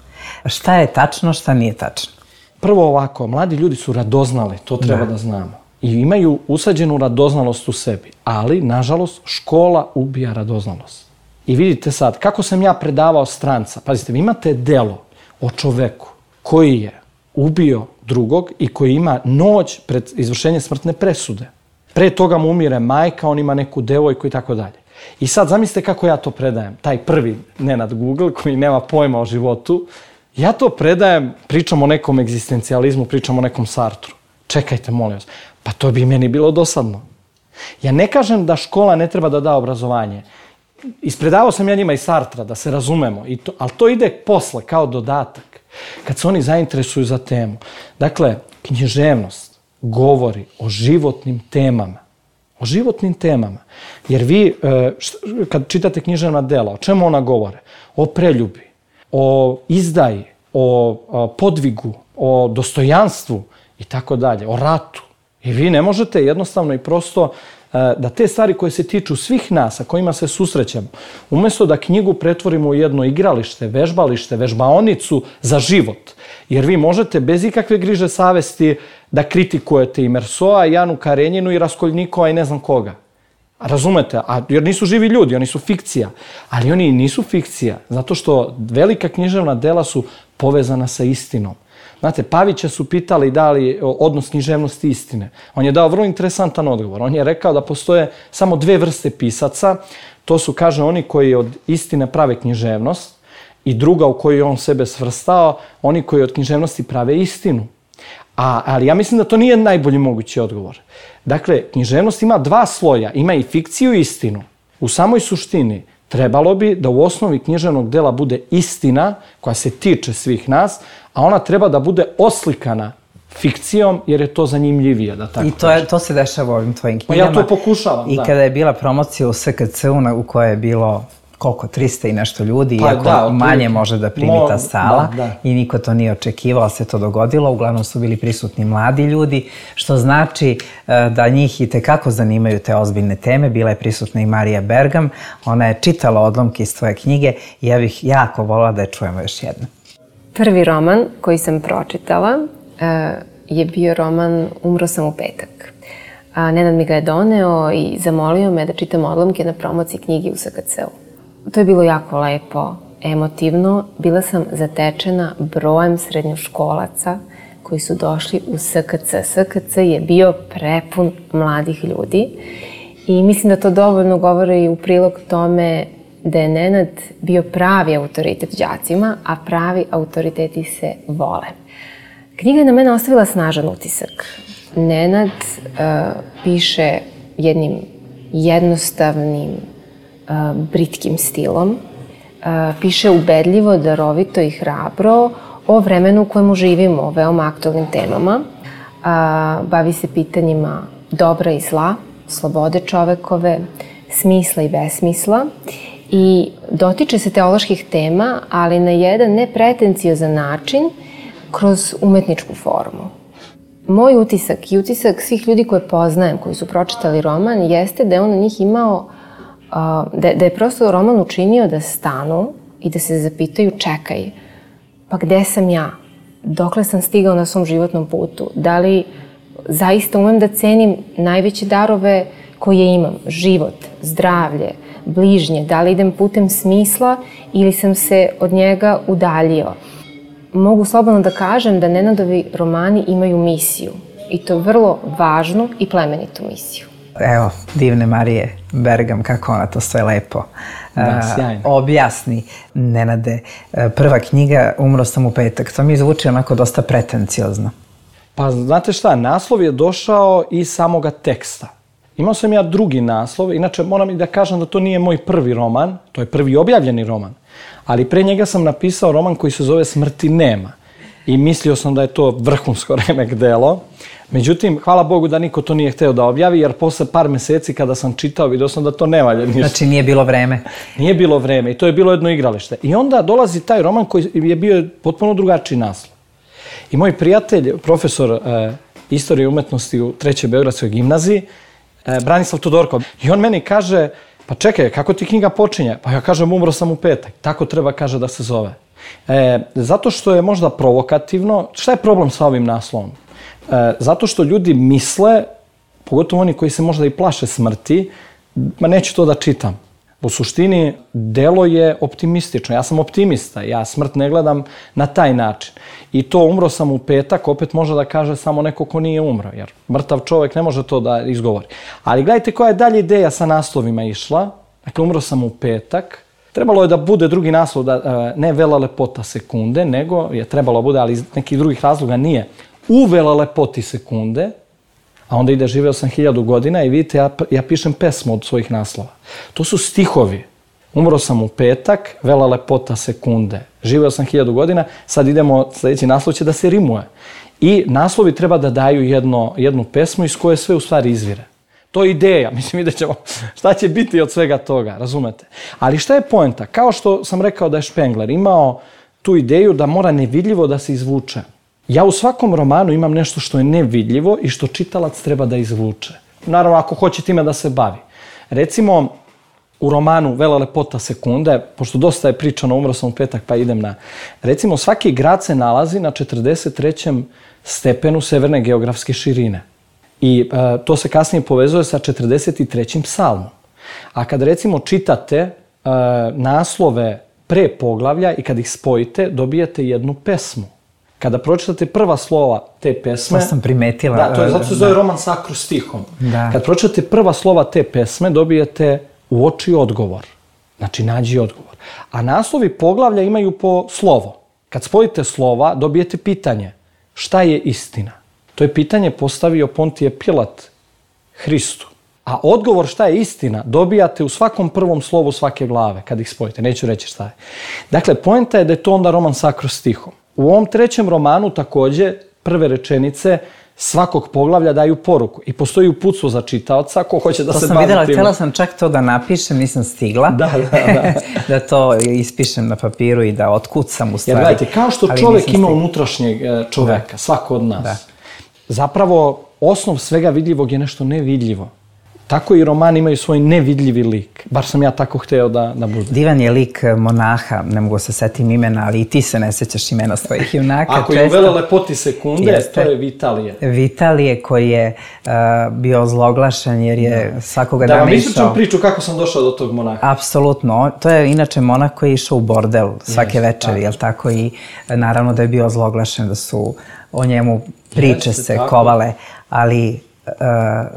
Šta je tačno, šta nije tačno? Prvo ovako, mladi ljudi su radoznali, to treba da, da znamo. I imaju usađenu radoznalost u sebi. Ali, nažalost, škola ubija radoznalost. I vidite sad, kako sam ja predavao stranca. Pazite, vi imate delo o čoveku koji je ubio drugog i koji ima noć pred izvršenjem smrtne presude. Pre toga mu umire majka, on ima neku devojku i tako dalje. I sad, zamislite kako ja to predajem. Taj prvi Nenad Google koji nema pojma o životu. Ja to predajem, pričam o nekom egzistencijalizmu, pričam o nekom Sartru. Čekajte, molim vas. Pa to bi meni bilo dosadno. Ja ne kažem da škola ne treba da da obrazovanje. Ispredavao sam ja njima i Sartra, da se razumemo. I to, ali to ide posle, kao dodatak. Kad se oni zainteresuju za temu. Dakle, književnost govori o životnim temama. O životnim temama. Jer vi, kad čitate književna dela, o čemu ona govore? O preljubi, o izdaji, o podvigu, o dostojanstvu i tako dalje, o ratu. I vi ne možete jednostavno i prosto da te stvari koje se tiču svih nas, a kojima se susrećemo, umjesto da knjigu pretvorimo u jedno igralište, vežbalište, vežbaonicu za život. Jer vi možete bez ikakve griže savesti da kritikujete i Mersoa, i Janu Karenjinu, i Raskoljnikova i ne znam koga. Razumete? A, jer nisu živi ljudi, oni su fikcija. Ali oni nisu fikcija, zato što velika književna dela su povezana sa istinom. Znate, Pavića su pitali da li odnos književnosti istine. On je dao vrlo interesantan odgovor. On je rekao da postoje samo dve vrste pisaca. To su, kaže, oni koji od istine prave književnost i druga u koju je on sebe svrstao, oni koji od književnosti prave istinu. A, ali ja mislim da to nije najbolji mogući odgovor. Dakle, književnost ima dva sloja. Ima i fikciju i istinu. U samoj suštini trebalo bi da u osnovi književnog dela bude istina koja se tiče svih nas, a ona treba da bude oslikana fikcijom jer je to zanimljivije, da tako I to, je, to se dešava u ovim tvojim knjigama. Ja to pokušavam, I da. I kada je bila promocija u S K C-u u kojoj je bilo koliko, trista i nešto ljudi, pa, iako da, manje može da primi ta sala da, da. I niko to nije očekivao, ali se to dogodilo. Uglavnom su bili prisutni mladi ljudi, što znači da njih i tekako zanimaju te ozbiljne teme. Bila je prisutna i Marija Bergam, ona je čitala odlomke iz tvoje knjige i ja bih jako volila da je čujemo još jedno. Prvi roman koji sam pročitala je bio roman Umro sam u petak. Nenad mi ga je doneo i zamolio me da čitam odlomke na promociji knjige u S K C-u. To je bilo jako lepo, emotivno. Bila sam zatečena brojem srednjoškolaca koji su došli u S K C. S K C je bio prepun mladih ljudi i mislim da to dovoljno govori i u prilog tome da je Nenad bio pravi autoritet đacima, a pravi autoriteti se vole. Knjiga je na mene ostavila snažan utisak. Nenad uh, piše jednim jednostavnim, uh, britkim stilom. Uh, piše ubedljivo, darovito i hrabro o vremenu u kojemu živimo, o veoma aktualnim temama. Uh, bavi se pitanjima dobra i zla, slobode čovekove, smisla i besmisla. I dotiče se teoloških tema, ali na jedan nepretenciozan način, kroz umetničku formu. Moj utisak i utisak svih ljudi koje poznajem, koji su pročitali roman, jeste da je on na njih imao, da je prosto roman učinio da stanu i da se zapitaju, čekaj, pa gde sam ja? Dokle sam stigao na svom životnom putu? Da li zaista umem da cenim najveće darove koje imam. Život, zdravlje, bližnje, da li idem putem smisla ili sam se od njega udaljio. Mogu slobodno da kažem da Nenadovi romani imaju misiju. I to vrlo važnu i plemenitu misiju. Evo, divne Marije Bergam, kako ona to sve lepo Da, sjajno. objasni. Nenade, prva knjiga Umro sam u petak, to mi zvuči onako dosta pretenciozno. Pa znate šta, naslov je došao iz samoga teksta. Imao sam ja drugi naslov, inače moram i da kažem da to nije moj prvi roman, to je prvi objavljeni roman, ali pre njega sam napisao roman koji se zove Smrti nema. I mislio sam da je to vrhunsko remek delo. Međutim, hvala Bogu da niko to nije hteo da objavi, jer posle par meseci kada sam čitao, vidio sam da to ne valja ništa. Znači nije bilo vreme. Nije bilo vreme i to je bilo jedno igralište. I onda dolazi taj roman koji je bio potpuno drugačiji naslov. I moj prijatelj, profesor e, istorije umetnosti u Trećoj Beogradskoj gimnaziji, e, Branislav Todorkov, i on meni kaže, pa čekaj, kako ti knjiga počinje? Pa ja kažem, umro sam u petak. Tako treba, kaže, da se zove. E, zato što je možda provokativno. Šta je problem sa ovim naslovom? E, zato što ljudi misle, pogotovo oni koji se možda i plaše smrti, ma neću to da čitam. U suštini, delo je optimistično. Ja sam optimista, ja smrt ne gledam na taj način. I to umro sam u petak, opet može da kaže samo neko ko nije umro, jer mrtav čovjek ne može to da izgovori. Ali gledajte koja je dalje ideja sa naslovima išla. Dakle, umro sam u petak. Trebalo je da bude drugi naslov, da, ne Vela lepota sekunde, nego je trebalo bude, ali iz nekih drugih razloga nije. U Vela lepoti sekunde, a onda ide živeo sam hiljadu godina i vidite, ja, ja pišem pesmu od svojih naslova. To su stihovi. Umro sam u petak, Vela lepota sekunde, živeo sam hiljadu godina, sad idemo, sljedeći naslov će da se rimuje. I naslovi treba da daju jedno, jednu pesmu iz koje sve u stvari izvire. To je ideja, mislim, vidjet ćemo šta će biti od svega toga, razumete? Ali šta je poenta? Kao što sam rekao da je Špengler imao tu ideju da mora nevidljivo da se izvuče. Ja u svakom romanu imam nešto što je nevidljivo i što čitalac treba da izvuče. Naravno, ako hoće time da se bavi. Recimo, u romanu Vela lepota sekunde, pošto dosta je pričano, umro sam u petak pa idem na... Recimo, svaki grad se nalazi na četrdeset trećem stepenu severne geografske širine. I e, to se kasnije povezuje sa četrdeset trećim psalmom. A kad recimo čitate e, naslove pre poglavlja i kad ih spojite, dobijete jednu pesmu. Kada pročitate prva slova te pesme... To sam primetila. Da, to je, zato se zove roman s akrostihom. Da. Kad pročitate prva slova te pesme, dobijete uoči odgovor. Znači, nađi odgovor. A naslovi poglavlja imaju po slovo. Kad spojite slova, dobijete pitanje. Šta je istina? To je pitanje postavio Pontije Pilat Hristu. A odgovor šta je istina dobijate u svakom prvom slovu svake glave, kad ih spojite. Neću reći šta je. Dakle, poenta je da je to onda roman s akrostihom. U ovom trećem romanu takođe prve rečenice svakog poglavlja daju poruku. I postoji uputstvo za čitaoca ko hoće da to se sam bavi videla, tim. htjela sam čak to da napišem, nisam stigla. Da, da, da. Da to ispišem na papiru i da otkucam u stvari. Jer gledajte, kao što ali čovjek ima stigla. unutrašnjeg čoveka, da. Svako od nas. Da. Zapravo, osnov svega vidljivog je nešto nevidljivo. Tako i romani imaju svoj nevidljivi lik. Bar sam ja tako hteo da, da bude. Divan je lik monaha, ne mogu se setim imena, ali i ti se ne sećaš imena svojih junaka. Ako je u Vela lepoti sekunde, jeste, to je Vitalije. Vitalije koji je uh, bio ozloglašen jer je da. svakoga da dana išao... Da vam ispričam priču kako sam došao do tog monaha. Apsolutno. To je inače monah koji je išao u bordel svake Jeste, večeri, tako. jel tako? I naravno da je bio ozloglašen, da su o njemu priče Jeste, se tako. kovale, ali... Uh,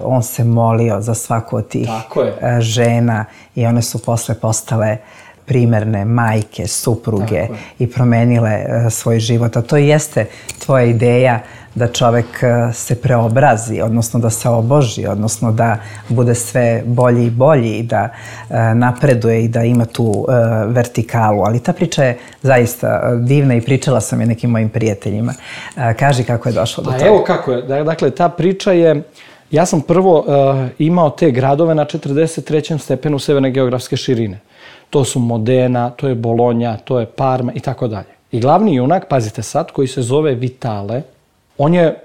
on se molio za svaku od tih uh, žena i one su posle postale primerne majke, supruge i promenile uh, svoj život. A to jeste tvoja ideja da čovek uh, se preobrazi, odnosno da se oboži, odnosno da bude sve bolji i bolji i da uh, napreduje i da ima tu uh, vertikalu. Ali ta priča je zaista divna i pričala sam je nekim mojim prijateljima. Uh, kaži kako je došlo do toga. Pa evo kako je. Dakle, ta priča je... Ja sam prvo uh, imao te gradove na četrdeset trećem stepenu severne geografske širine. To su Modena, to je Bolonja, to je Parma i tako dalje. I glavni junak, pazite sad, koji se zove Vitale, on je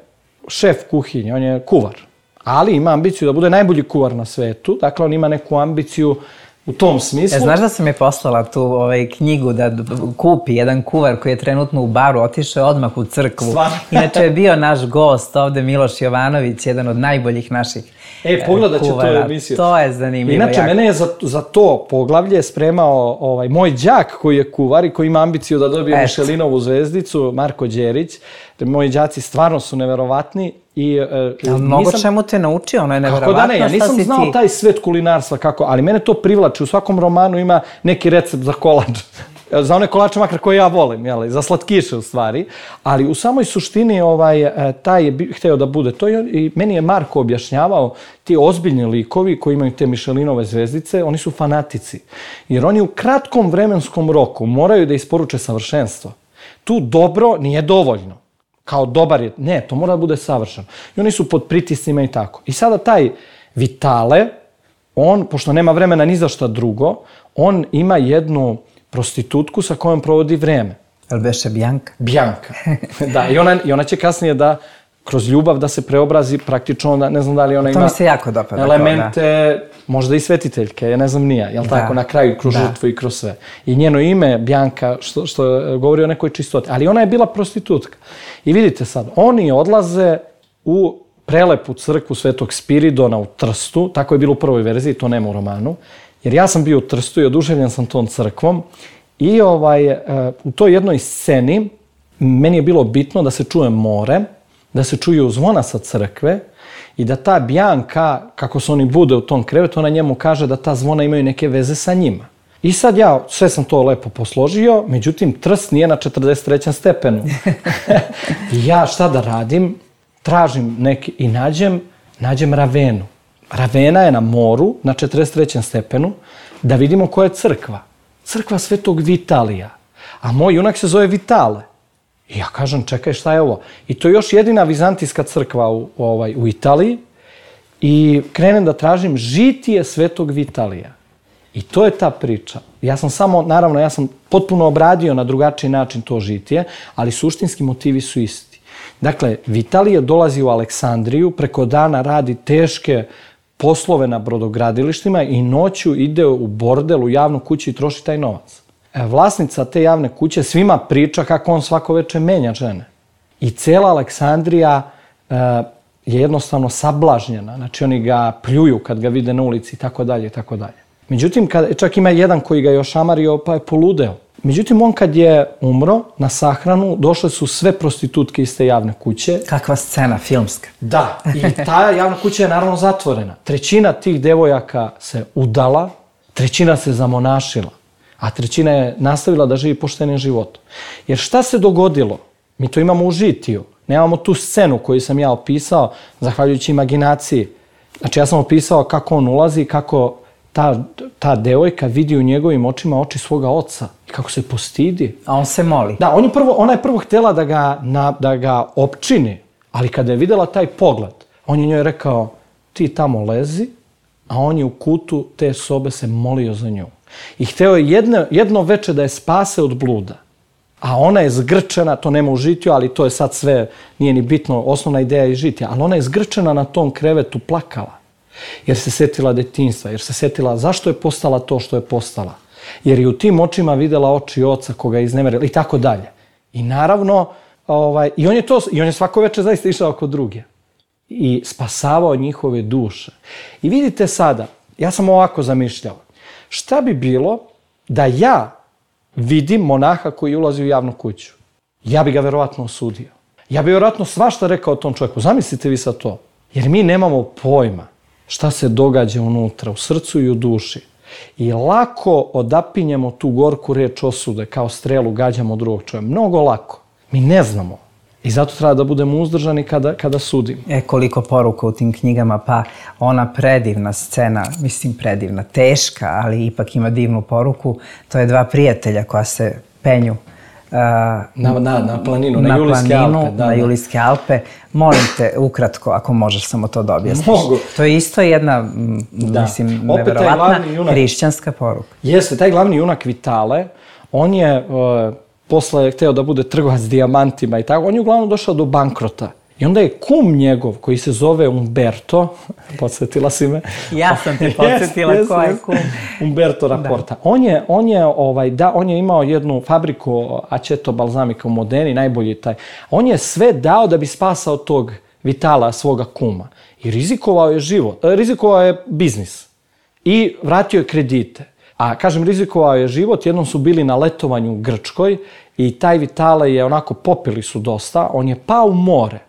šef kuhinje, on je kuvar. Ali ima ambiciju da bude najbolji kuvar na svetu. Dakle, on ima neku ambiciju u tom smislu. E, znaš da sam je poslala tu ovaj, knjigu da kupi jedan kuvar koji je trenutno u baru, otišao je odmah u crkvu. Stvarno? Inače je bio naš gost ovde, Miloš Jovanović, jedan od najboljih naših E, pogledat ću tu emisiju. To je zanimljivo. Inače, jako. mene je za, za to poglavlje spremao ovaj, moj đak koji je kuvar i koji ima ambiciju da dobije Mišelinovu zvezdicu, Marko Đerić. Moji đaci stvarno su neverovatni. I, e, mnogo nisam, čemu te naučio, ono je neverovatno. Kako da ne, ja nisam znao ti... taj svet kulinarstva kako, ali mene to privlači. U svakom romanu ima neki recept za kolač. Za one kolače makar koje ja volim, jeli, za slatkiše u stvari. Ali u samoj suštini ovaj, taj je hteo da bude to i meni je Marko objašnjavao ti ozbiljni likovi koji imaju te Mišelinove zvezdice, oni su fanatici. Jer oni u kratkom vremenskom roku moraju da isporuče savršenstvo. Tu dobro nije dovoljno. Kao dobar je, ne, to mora da bude savršeno. I oni su pod pritiscima i tako. I sada taj Vitale, on, pošto nema vremena ni za šta drugo, on ima jednu prostitutku sa kojom provodi vreme. Ali beše Bjanka? Bjanka, da. I ona, I ona će kasnije da, kroz ljubav, da se preobrazi praktično, da, ne znam da li ona ima... To mi se jako dopada. Elemente, da. Možda i svetiteljke, ja ne znam nija, jel da. Tako, na kraju, kroz da. Žrtvu i kroz sve. I njeno ime, Bjanka, što, što govori o nekoj čistoti. Ali ona je bila prostitutka. I vidite sad, oni odlaze u prelepu crkvu Svetog Spiridona u Trstu, tako je bilo u prvoj verziji, to nema u romanu, jer ja sam bio u Trstu i oduševljen sam tom crkvom i ovaj, u toj jednoj sceni meni je bilo bitno da se čuje more, da se čuju zvona sa crkve i da ta Bjanka, kako se oni bude u tom krevetu, ona njemu kaže da ta zvona imaju neke veze sa njima. I sad ja sve sam to lepo posložio, međutim Trst nije na četrdeset trećem stepenu. I ja šta da radim? Tražim neki i nađem, nađem Ravenu. Ravena je na moru, na četrdeset trećem stepenu, da vidimo koja je crkva. Crkva Svetog Vitalija. A moj junak se zove Vitale. I ja kažem, čekaj, šta je ovo? I to je još jedina vizantijska crkva u, ovaj, u Italiji. I krenem da tražim žitije Svetog Vitalija. I to je ta priča. Ja sam samo, naravno, ja sam potpuno obradio na drugačiji način to žitije, ali suštinski motivi su isti. Dakle, Vitalije dolazi u Aleksandriju, preko dana radi teške poslove na brodogradilištima i noću ide u bordel, u javnu kuću i troši taj novac. Vlasnica te javne kuće svima priča kako on svako veče menja žene. I cela Aleksandrija e, je jednostavno sablažnjena. Znači, oni ga pljuju kad ga vide na ulici i tako dalje i tako dalje. Međutim, kad, čak ima jedan koji ga je ošamario pa je poludeo. Međutim, on kad je umro na sahranu, došle su sve prostitutke iz te javne kuće. Kakva scena, filmska. Da, i ta javna kuća je naravno zatvorena. Trećina tih devojaka se udala, trećina se zamonašila, a trećina je nastavila da živi poštenim životom. Jer šta se dogodilo? Mi to imamo u žitiju. Nemamo tu scenu koju sam ja opisao, zahvaljujući imaginaciji. Znači, ja sam opisao kako on ulazi, kako ta, ta devojka vidi u njegovim očima oči svoga oca i kako se postidi. A on se moli. Da, on je prvo, ona je prvo htjela da ga, na, da ga opčini, ali kada je vidjela taj pogled, on je njoj rekao, ti tamo lezi, a on je u kutu te sobe se molio za nju. I hteo je jedno, jedno veče da je spase od bluda. A ona je zgrčena, to nema u žitiju, ali to je sad sve, nije ni bitno, osnovna ideja je žitija, ali ona je zgrčena na tom krevetu, plakala. Jer se setila detinjstva, jer se setila zašto je postala to što je postala. Jer je u tim očima videla oči oca koga je iznemerila i tako dalje. I naravno, ovaj, i on je to, i on je svako večer zaista išao oko druge. I spasavao njihove duše. I vidite sada, ja sam ovako zamišljao, šta bi bilo da ja vidim monaha koji ulazi u javnu kuću? Ja bi ga verovatno osudio. Ja bi verovatno svašta rekao o tom čovjeku. Zamislite vi sad to. Jer mi nemamo pojma šta se događa unutra, u srcu i u duši. I lako odapinjemo tu gorku reč osude, kao strelu gađamo drugog čovjeka. Mnogo lako. Mi ne znamo. I zato treba da budemo uzdržani kada, kada sudimo. E, koliko poruka u tim knjigama, pa ona predivna scena, mislim predivna, teška, ali ipak ima divnu poruku, to je dva prijatelja koja se penju uh, na, na, na planinu, na, na Julijske planinu, Alpe. Da, na da. Julijske Alpe. Molim te, ukratko, ako možeš samo to da objasniš. Mogu. To je isto jedna, da. mislim, neverovatna hrišćanska poruka. Jeste, taj glavni junak Vitale, on je... Uh, posle je hteo da bude trgovac dijamantima i tako, on je uglavnom došao do bankrota. I onda je kum njegov, koji se zove Umberto, podsjetila si me. Ja sam te podsjetila yes, ko je yes, kum. Umberto Raporta. On je, on, je, ovaj, da, on je imao jednu fabriku Aceto balzamika u Modeni, najbolji taj. On je sve dao da bi spasao tog Vitala, svoga kuma. I rizikovao je život, rizikovao je biznis. I vratio je kredite. A kažem, rizikovao je život, jednom su bili na letovanju u Grčkoj i taj Vitale je onako, popili su dosta, on je pao u more.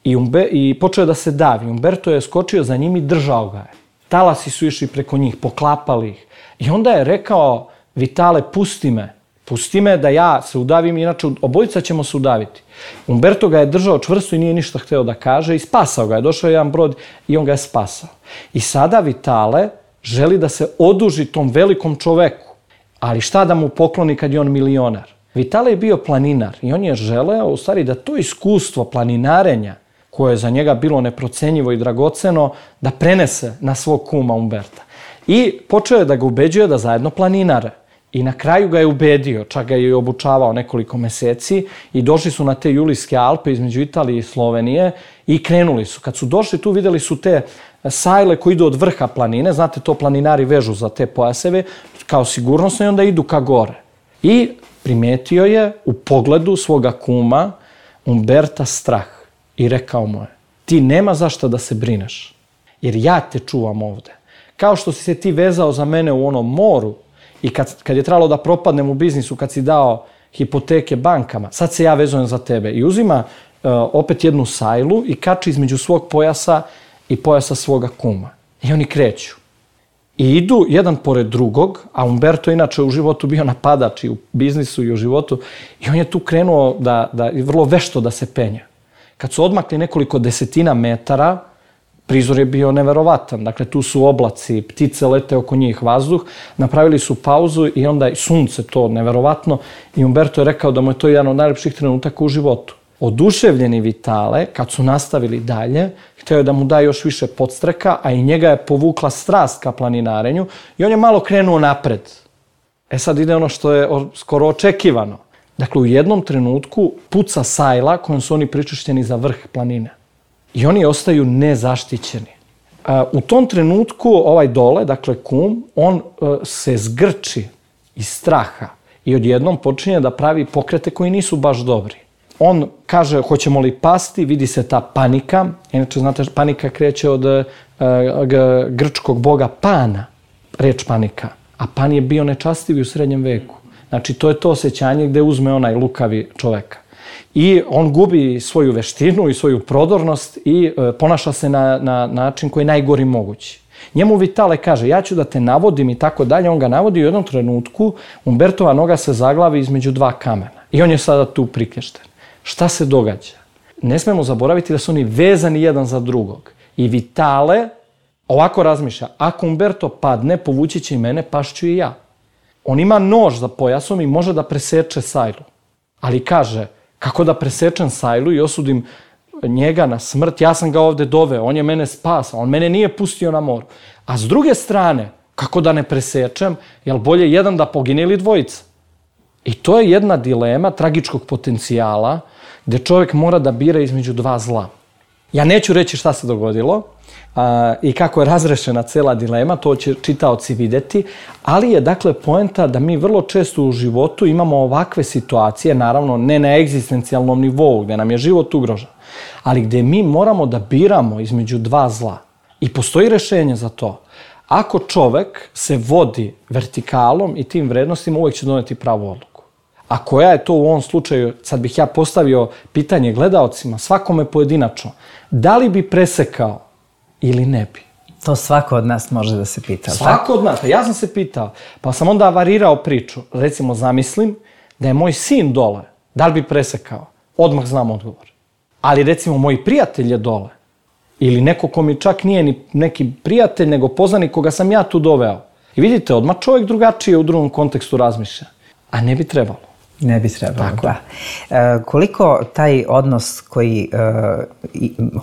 I, umbe, I počeo je da se davi. Umberto je skočio za njim i držao ga je. Talasi su išli preko njih, poklapali ih. I onda je rekao, Vitale, pusti me. Pusti me da ja se udavim, inače obojica ćemo se udaviti. Umberto ga je držao čvrsto i nije ništa hteo da kaže i spasao ga je. Došao je jedan brod i on ga je spasao. I sada Vitale želi da se oduži tom velikom čoveku. Ali šta da mu pokloni kad je on milionar? Vitale je bio planinar i on je želeo, u stvari, da to iskustvo planinarenja, koje je za njega bilo neprocenjivo i dragoceno, da prenese na svog kuma Umberta. I počeo je da ga ubeđuje da zajedno planinare. I na kraju ga je ubedio, čak ga je obučavao nekoliko meseci i došli su na te Julijske Alpe između Italije i Slovenije i krenuli su. Kad su došli tu, videli su te sajle koji idu od vrha planine, znate, to planinari vežu za te pojaseve, kao sigurnosno, i onda idu ka gore. I primetio je u pogledu svoga kuma Umberta strah i rekao mu je, ti nema zašto da se brineš, jer ja te čuvam ovde. Kao što si se ti vezao za mene u onom moru i kad, kad je trebalo da propadnem u biznisu, kad si dao hipoteke bankama, sad se ja vezujem za tebe. I uzima uh, opet jednu sajlu i kači između svog pojasa i pojasa svoga kuma. I oni kreću. I idu jedan pored drugog, a Umberto inače u životu bio napadač i u biznisu i u životu, i on je tu krenuo da, da, vrlo vešto da se penja. Kad su odmakli nekoliko desetina metara, prizor je bio neverovatan. Dakle, tu su oblaci, ptice lete oko njih, vazduh, napravili su pauzu i onda i sunce, to neverovatno, i Umberto je rekao da mu je to jedan od najlepših trenutaka u životu. Oduševljeni Vitale, kad su nastavili dalje, hteo je da mu da još više podstreka, a i njega je povukla strast ka planinarenju i on je malo krenuo napred. E sad ide ono što je skoro očekivano. Dakle, u jednom trenutku puca sajla kojom su oni pričešćeni za vrh planine. I oni ostaju nezaštićeni. U tom trenutku ovaj dole, dakle kum, on se zgrči iz straha i odjednom počinje da pravi pokrete koji nisu baš dobri. On kaže, hoćemo li pasti, vidi se ta panika. Inače, znate, panika kreće od uh, grčkog boga Pana, reč panika. A Pan je bio nečastivi u srednjem veku. Znači, to je to osjećanje gde uzme onaj lukavi čoveka. I on gubi svoju veštinu i svoju prodornost i uh, ponaša se na, na način koji je najgori mogući. Njemu Vitale kaže, ja ću da te navodim i tako dalje. On ga navodi i u jednom trenutku Umbertova noga se zaglavi između dva kamena. I on je sada tu prikešten. Šta se događa? Ne smemo zaboraviti da su oni vezani jedan za drugog. I Vitale ovako razmišlja, ako Umberto padne, povući će i mene, pašću i ja. On ima nož za pojasom i može da preseče sajlu. Ali kaže, kako da presečem sajlu i osudim njega na smrt, ja sam ga ovde doveo, on je mene spasao, on mene nije pustio na moru. A s druge strane, kako da ne presečem, jel bolje jedan da pogine ili dvojica? I to je jedna dilema tragičkog potencijala gde čovjek mora da bira između dva zla. Ja neću reći šta se dogodilo a, i kako je razrešena cela dilema, to će čitaoci videti, ali je dakle poenta da mi vrlo često u životu imamo ovakve situacije, naravno ne na egzistencijalnom nivou gde nam je život ugrožen, ali gde mi moramo da biramo između dva zla. I postoji rešenje za to. Ako čovek se vodi vertikalom i tim vrednostima, uvek će doneti pravu odluku. A koja je to u ovom slučaju, sad bih ja postavio pitanje gledaocima, svakome pojedinačno, da li bi presekao ili ne bi? To svako od nas može da se pita. Svako od nas, ja sam se pitao, pa sam onda varirao priču. Recimo, zamislim da je moj sin dole, da li bi presekao? Odmah znam odgovor. Ali recimo, moj prijatelj je dole. Ili neko ko mi čak nije ni neki prijatelj, nego poznanik koga sam ja tu doveo. I vidite, odmah čovjek drugačije u drugom kontekstu razmišlja. A ne bi trebalo. Ne bi trebalo, tako da. E, koliko taj odnos koji, e,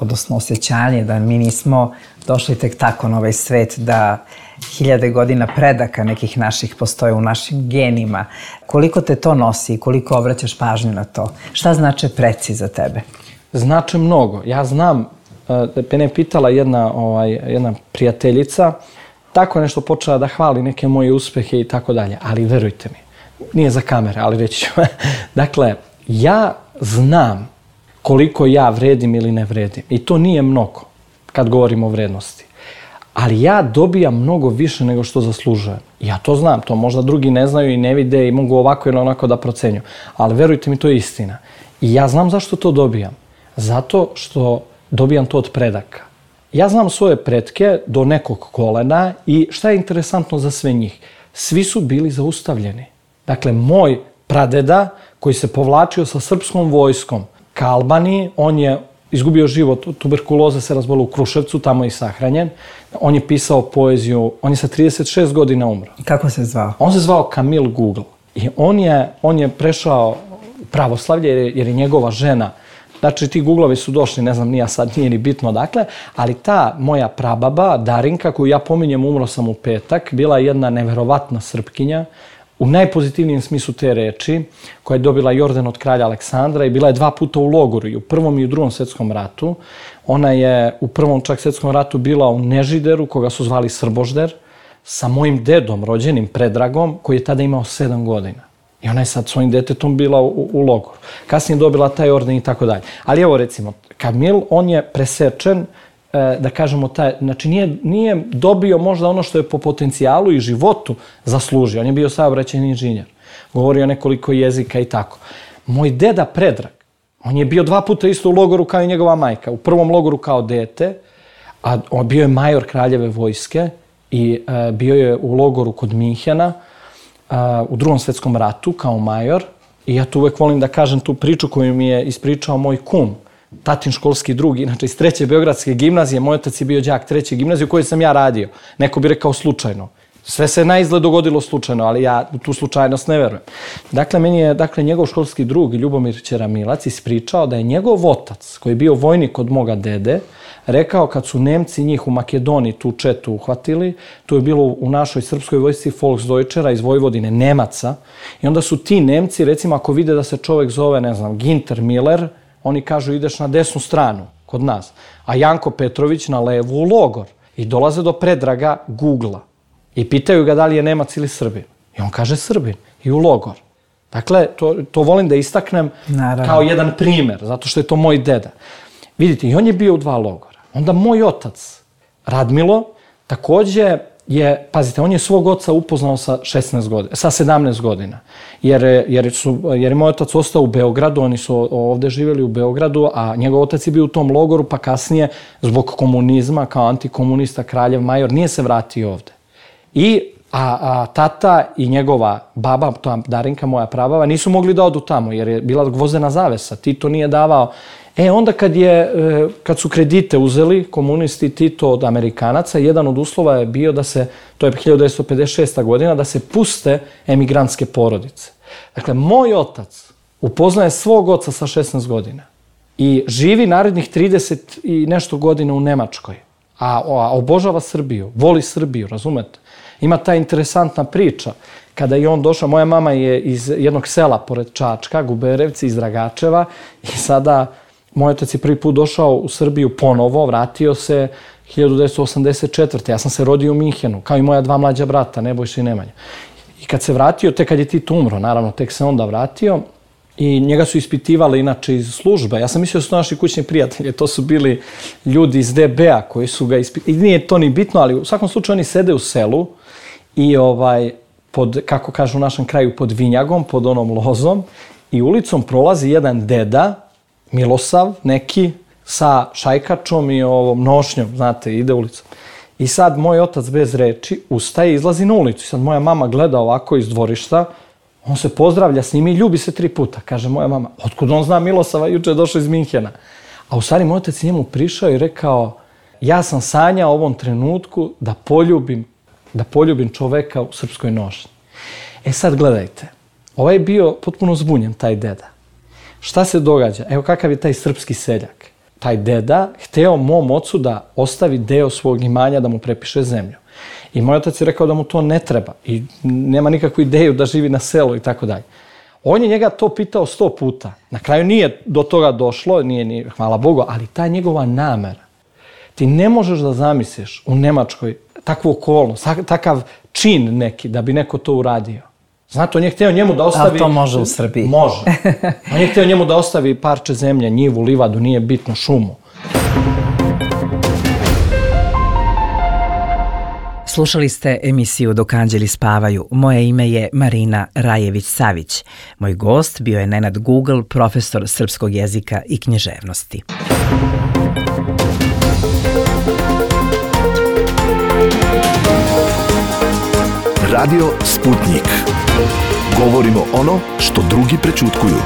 odnosno osjećanje da mi nismo došli tek tako na ovaj svet, da hiljade godina predaka nekih naših postoje u našim genima, koliko te to nosi i koliko obraćaš pažnju na to? Šta znače preci za tebe? znače mnogo. Ja znam, mene je pitala jedna, ovaj, jedna prijateljica, tako nešto počela da hvali neke moje uspehe i tako dalje, ali verujte mi, nije za kamere, ali reći ću. Dakle, ja znam koliko ja vredim ili ne vredim i to nije mnogo kad govorimo o vrednosti. Ali ja dobijam mnogo više nego što zaslužujem. Ja to znam, to možda drugi ne znaju i ne vide i mogu ovako ili onako da procenju. Ali verujte mi, to je istina. I ja znam zašto to dobijam. Zato što dobijam to od predaka. Ja znam svoje pretke do nekog kolena i šta je interesantno za sve njih? Svi su bili zaustavljeni. Dakle, moj pradeda koji se povlačio sa srpskom vojskom ka Albaniji, on je izgubio život, tuberkuloza se razbolila u Kruševcu, tamo je i sahranjen. On je pisao poeziju, on je sa trideset šest godina umro. Kako se zvao? On se zvao Kamil Google. I on je, on je prešao u pravoslavlje jer, jer je njegova žena. Znači, ti Googlovi su došli, ne znam, nija sad, nije ni bitno dakle, ali ta moja prababa, Darinka, koju ja pominjem, umro sam u petak, bila je jedna neverovatna Srpkinja, u najpozitivnijem smislu te reči, koja je dobila i orden od kralja Aleksandra i bila je dva puta u logoru, i u prvom i u drugom svetskom ratu. Ona je u prvom čak svetskom ratu bila u Nežideru, koga su zvali Srbožder, sa mojim dedom, rođenim Predragom, koji je tada imao sedam godina. I ona je sad svojim detetom bila u, u logoru. Kasnije dobila taj orden i tako dalje. Ali evo recimo, Kamil, on je presečen, da kažemo, taj, znači nije, nije dobio možda ono što je po potencijalu i životu zaslužio. On je bio saobraćajni inženjer. Govorio nekoliko jezika i tako. Moj deda Predrag, on je bio dva puta isto u logoru kao i njegova majka. U prvom logoru kao dete, a on bio je major kraljeve vojske i a, bio je u logoru kod Minhena a, u drugom svetskom ratu kao major. I ja tu uvek volim da kažem tu priču koju mi je ispričao moj kum, tatin školski drug, inače iz treće Beogradske gimnazije. Moj otac je bio đak treće gimnazije u kojoj sam ja radio. Neko bi rekao slučajno. Sve se naizgled dogodilo slučajno, ali ja u tu slučajnost ne verujem. Dakle, meni je dakle, njegov školski drug Ljubomir Ćeramilac ispričao da je njegov otac, koji je bio vojnik od moga dede, rekao kad su Nemci njih u Makedoniji tu četu uhvatili, tu je bilo u našoj srpskoj vojsci Volksdeutschera iz Vojvodine, Nemaca, i onda su ti Nemci, recimo ako vide da se čovek zove, ne znam, Ginter Miller, oni kažu ideš na desnu stranu kod nas, a Janko Petrović na levu u logor. I dolaze do Predraga Googla i pitaju ga da li je Nemac ili Srbin. I on kaže Srbin i u logor. Dakle, to, to volim da istaknem Naravno. Kao jedan primer, zato što je to moj deda. Vidite, i on je bio u dva logora. Onda moj otac, Radmilo, takođe je, pazite, on je svog oca upoznao sa šesnaest godina, sa sedamnaest godina. Jer, jer, su, jer je moj otac ostao u Beogradu, oni su ovde živjeli u Beogradu, a njegov otac je bio u tom logoru, pa kasnije, zbog komunizma, kao antikomunista, kraljev major, nije se vratio ovde. I, a, a tata i njegova baba, to Darinka, moja prababa, nisu mogli da odu tamo, jer je bila gvozdena zavesa. Tito nije davao. E, onda kad, je, kad su kredite uzeli komunisti Tito od Amerikanaca, jedan od uslova je bio da se, to je hiljadu devetsto pedeset šesta godina, da se puste emigrantske porodice. Dakle, moj otac upoznaje svog oca sa šesnaest godina i živi narednih trideset i nešto godina u Nemačkoj, a, a obožava Srbiju, voli Srbiju, razumete? Ima ta interesantna priča. Kada je on došao, moja mama je iz jednog sela pored Čačka, Guberevci, iz Dragačeva, i sada moj otac je prvi put došao u Srbiju ponovo, vratio se hiljadu devetsto osamdeset četvrte. Ja sam se rodio u Minhenu, kao i moja dva mlađa brata, Nebojša i Nemanja. I kad se vratio, tek kad je Tito umro, naravno, tek se onda vratio, i njega su ispitivali inače iz službe. Ja sam mislio da su to naši kućni prijatelji, to su bili ljudi iz D B A koji su ga ispitivali. I nije to ni bitno, ali u svakom slučaju oni sede u selu i ovaj, pod, kako kažu u našem kraju, pod vinjagom, pod onom lozom, i ulicom prolazi jedan deda, Milosav, neki, sa šajkačom i ovom nošnjom, znate, ide ulicom. I sad moj otac bez reči ustaje i izlazi na ulicu. I sad moja mama gleda ovako iz dvorišta, on se pozdravlja s njim i ljubi se tri puta. Kaže moja mama, otkud on zna Milosava, juče je došao iz Minhena. A u stvari moj otac njemu prišao i rekao, ja sam sanjao ovom trenutku da poljubim, da poljubim čoveka u srpskoj nošnji. E sad gledajte, ovaj je bio potpuno zbunjen, taj deda. Šta se događa? Evo kakav je taj srpski seljak. Taj deda hteo mom ocu da ostavi deo svog imanja, da mu prepiše zemlju. I moj otac je rekao da mu to ne treba i nema nikakvu ideju da živi na selu i tako dalje. On je njega to pitao sto puta. Na kraju nije do toga došlo, nije ni, hvala Bogu, ali ta njegova namera. Ti ne možeš da zamisliš u Nemačkoj takvu okolnost, takav čin neki, da bi neko to uradio. Znate, on je hteo njemu da ostavi... Ali to može u Srbiji. Može. On je hteo njemu da ostavi parče zemlje, njivu, livadu, nije bitno, šumu. Slušali ste emisiju Dok anđeli spavaju. Moje ime je Marina Rajević-Savić. Moj gost bio je Nenad Google, profesor srpskog jezika i književnosti. Radio Sputnik. Govorimo ono što drugi prećutkuju.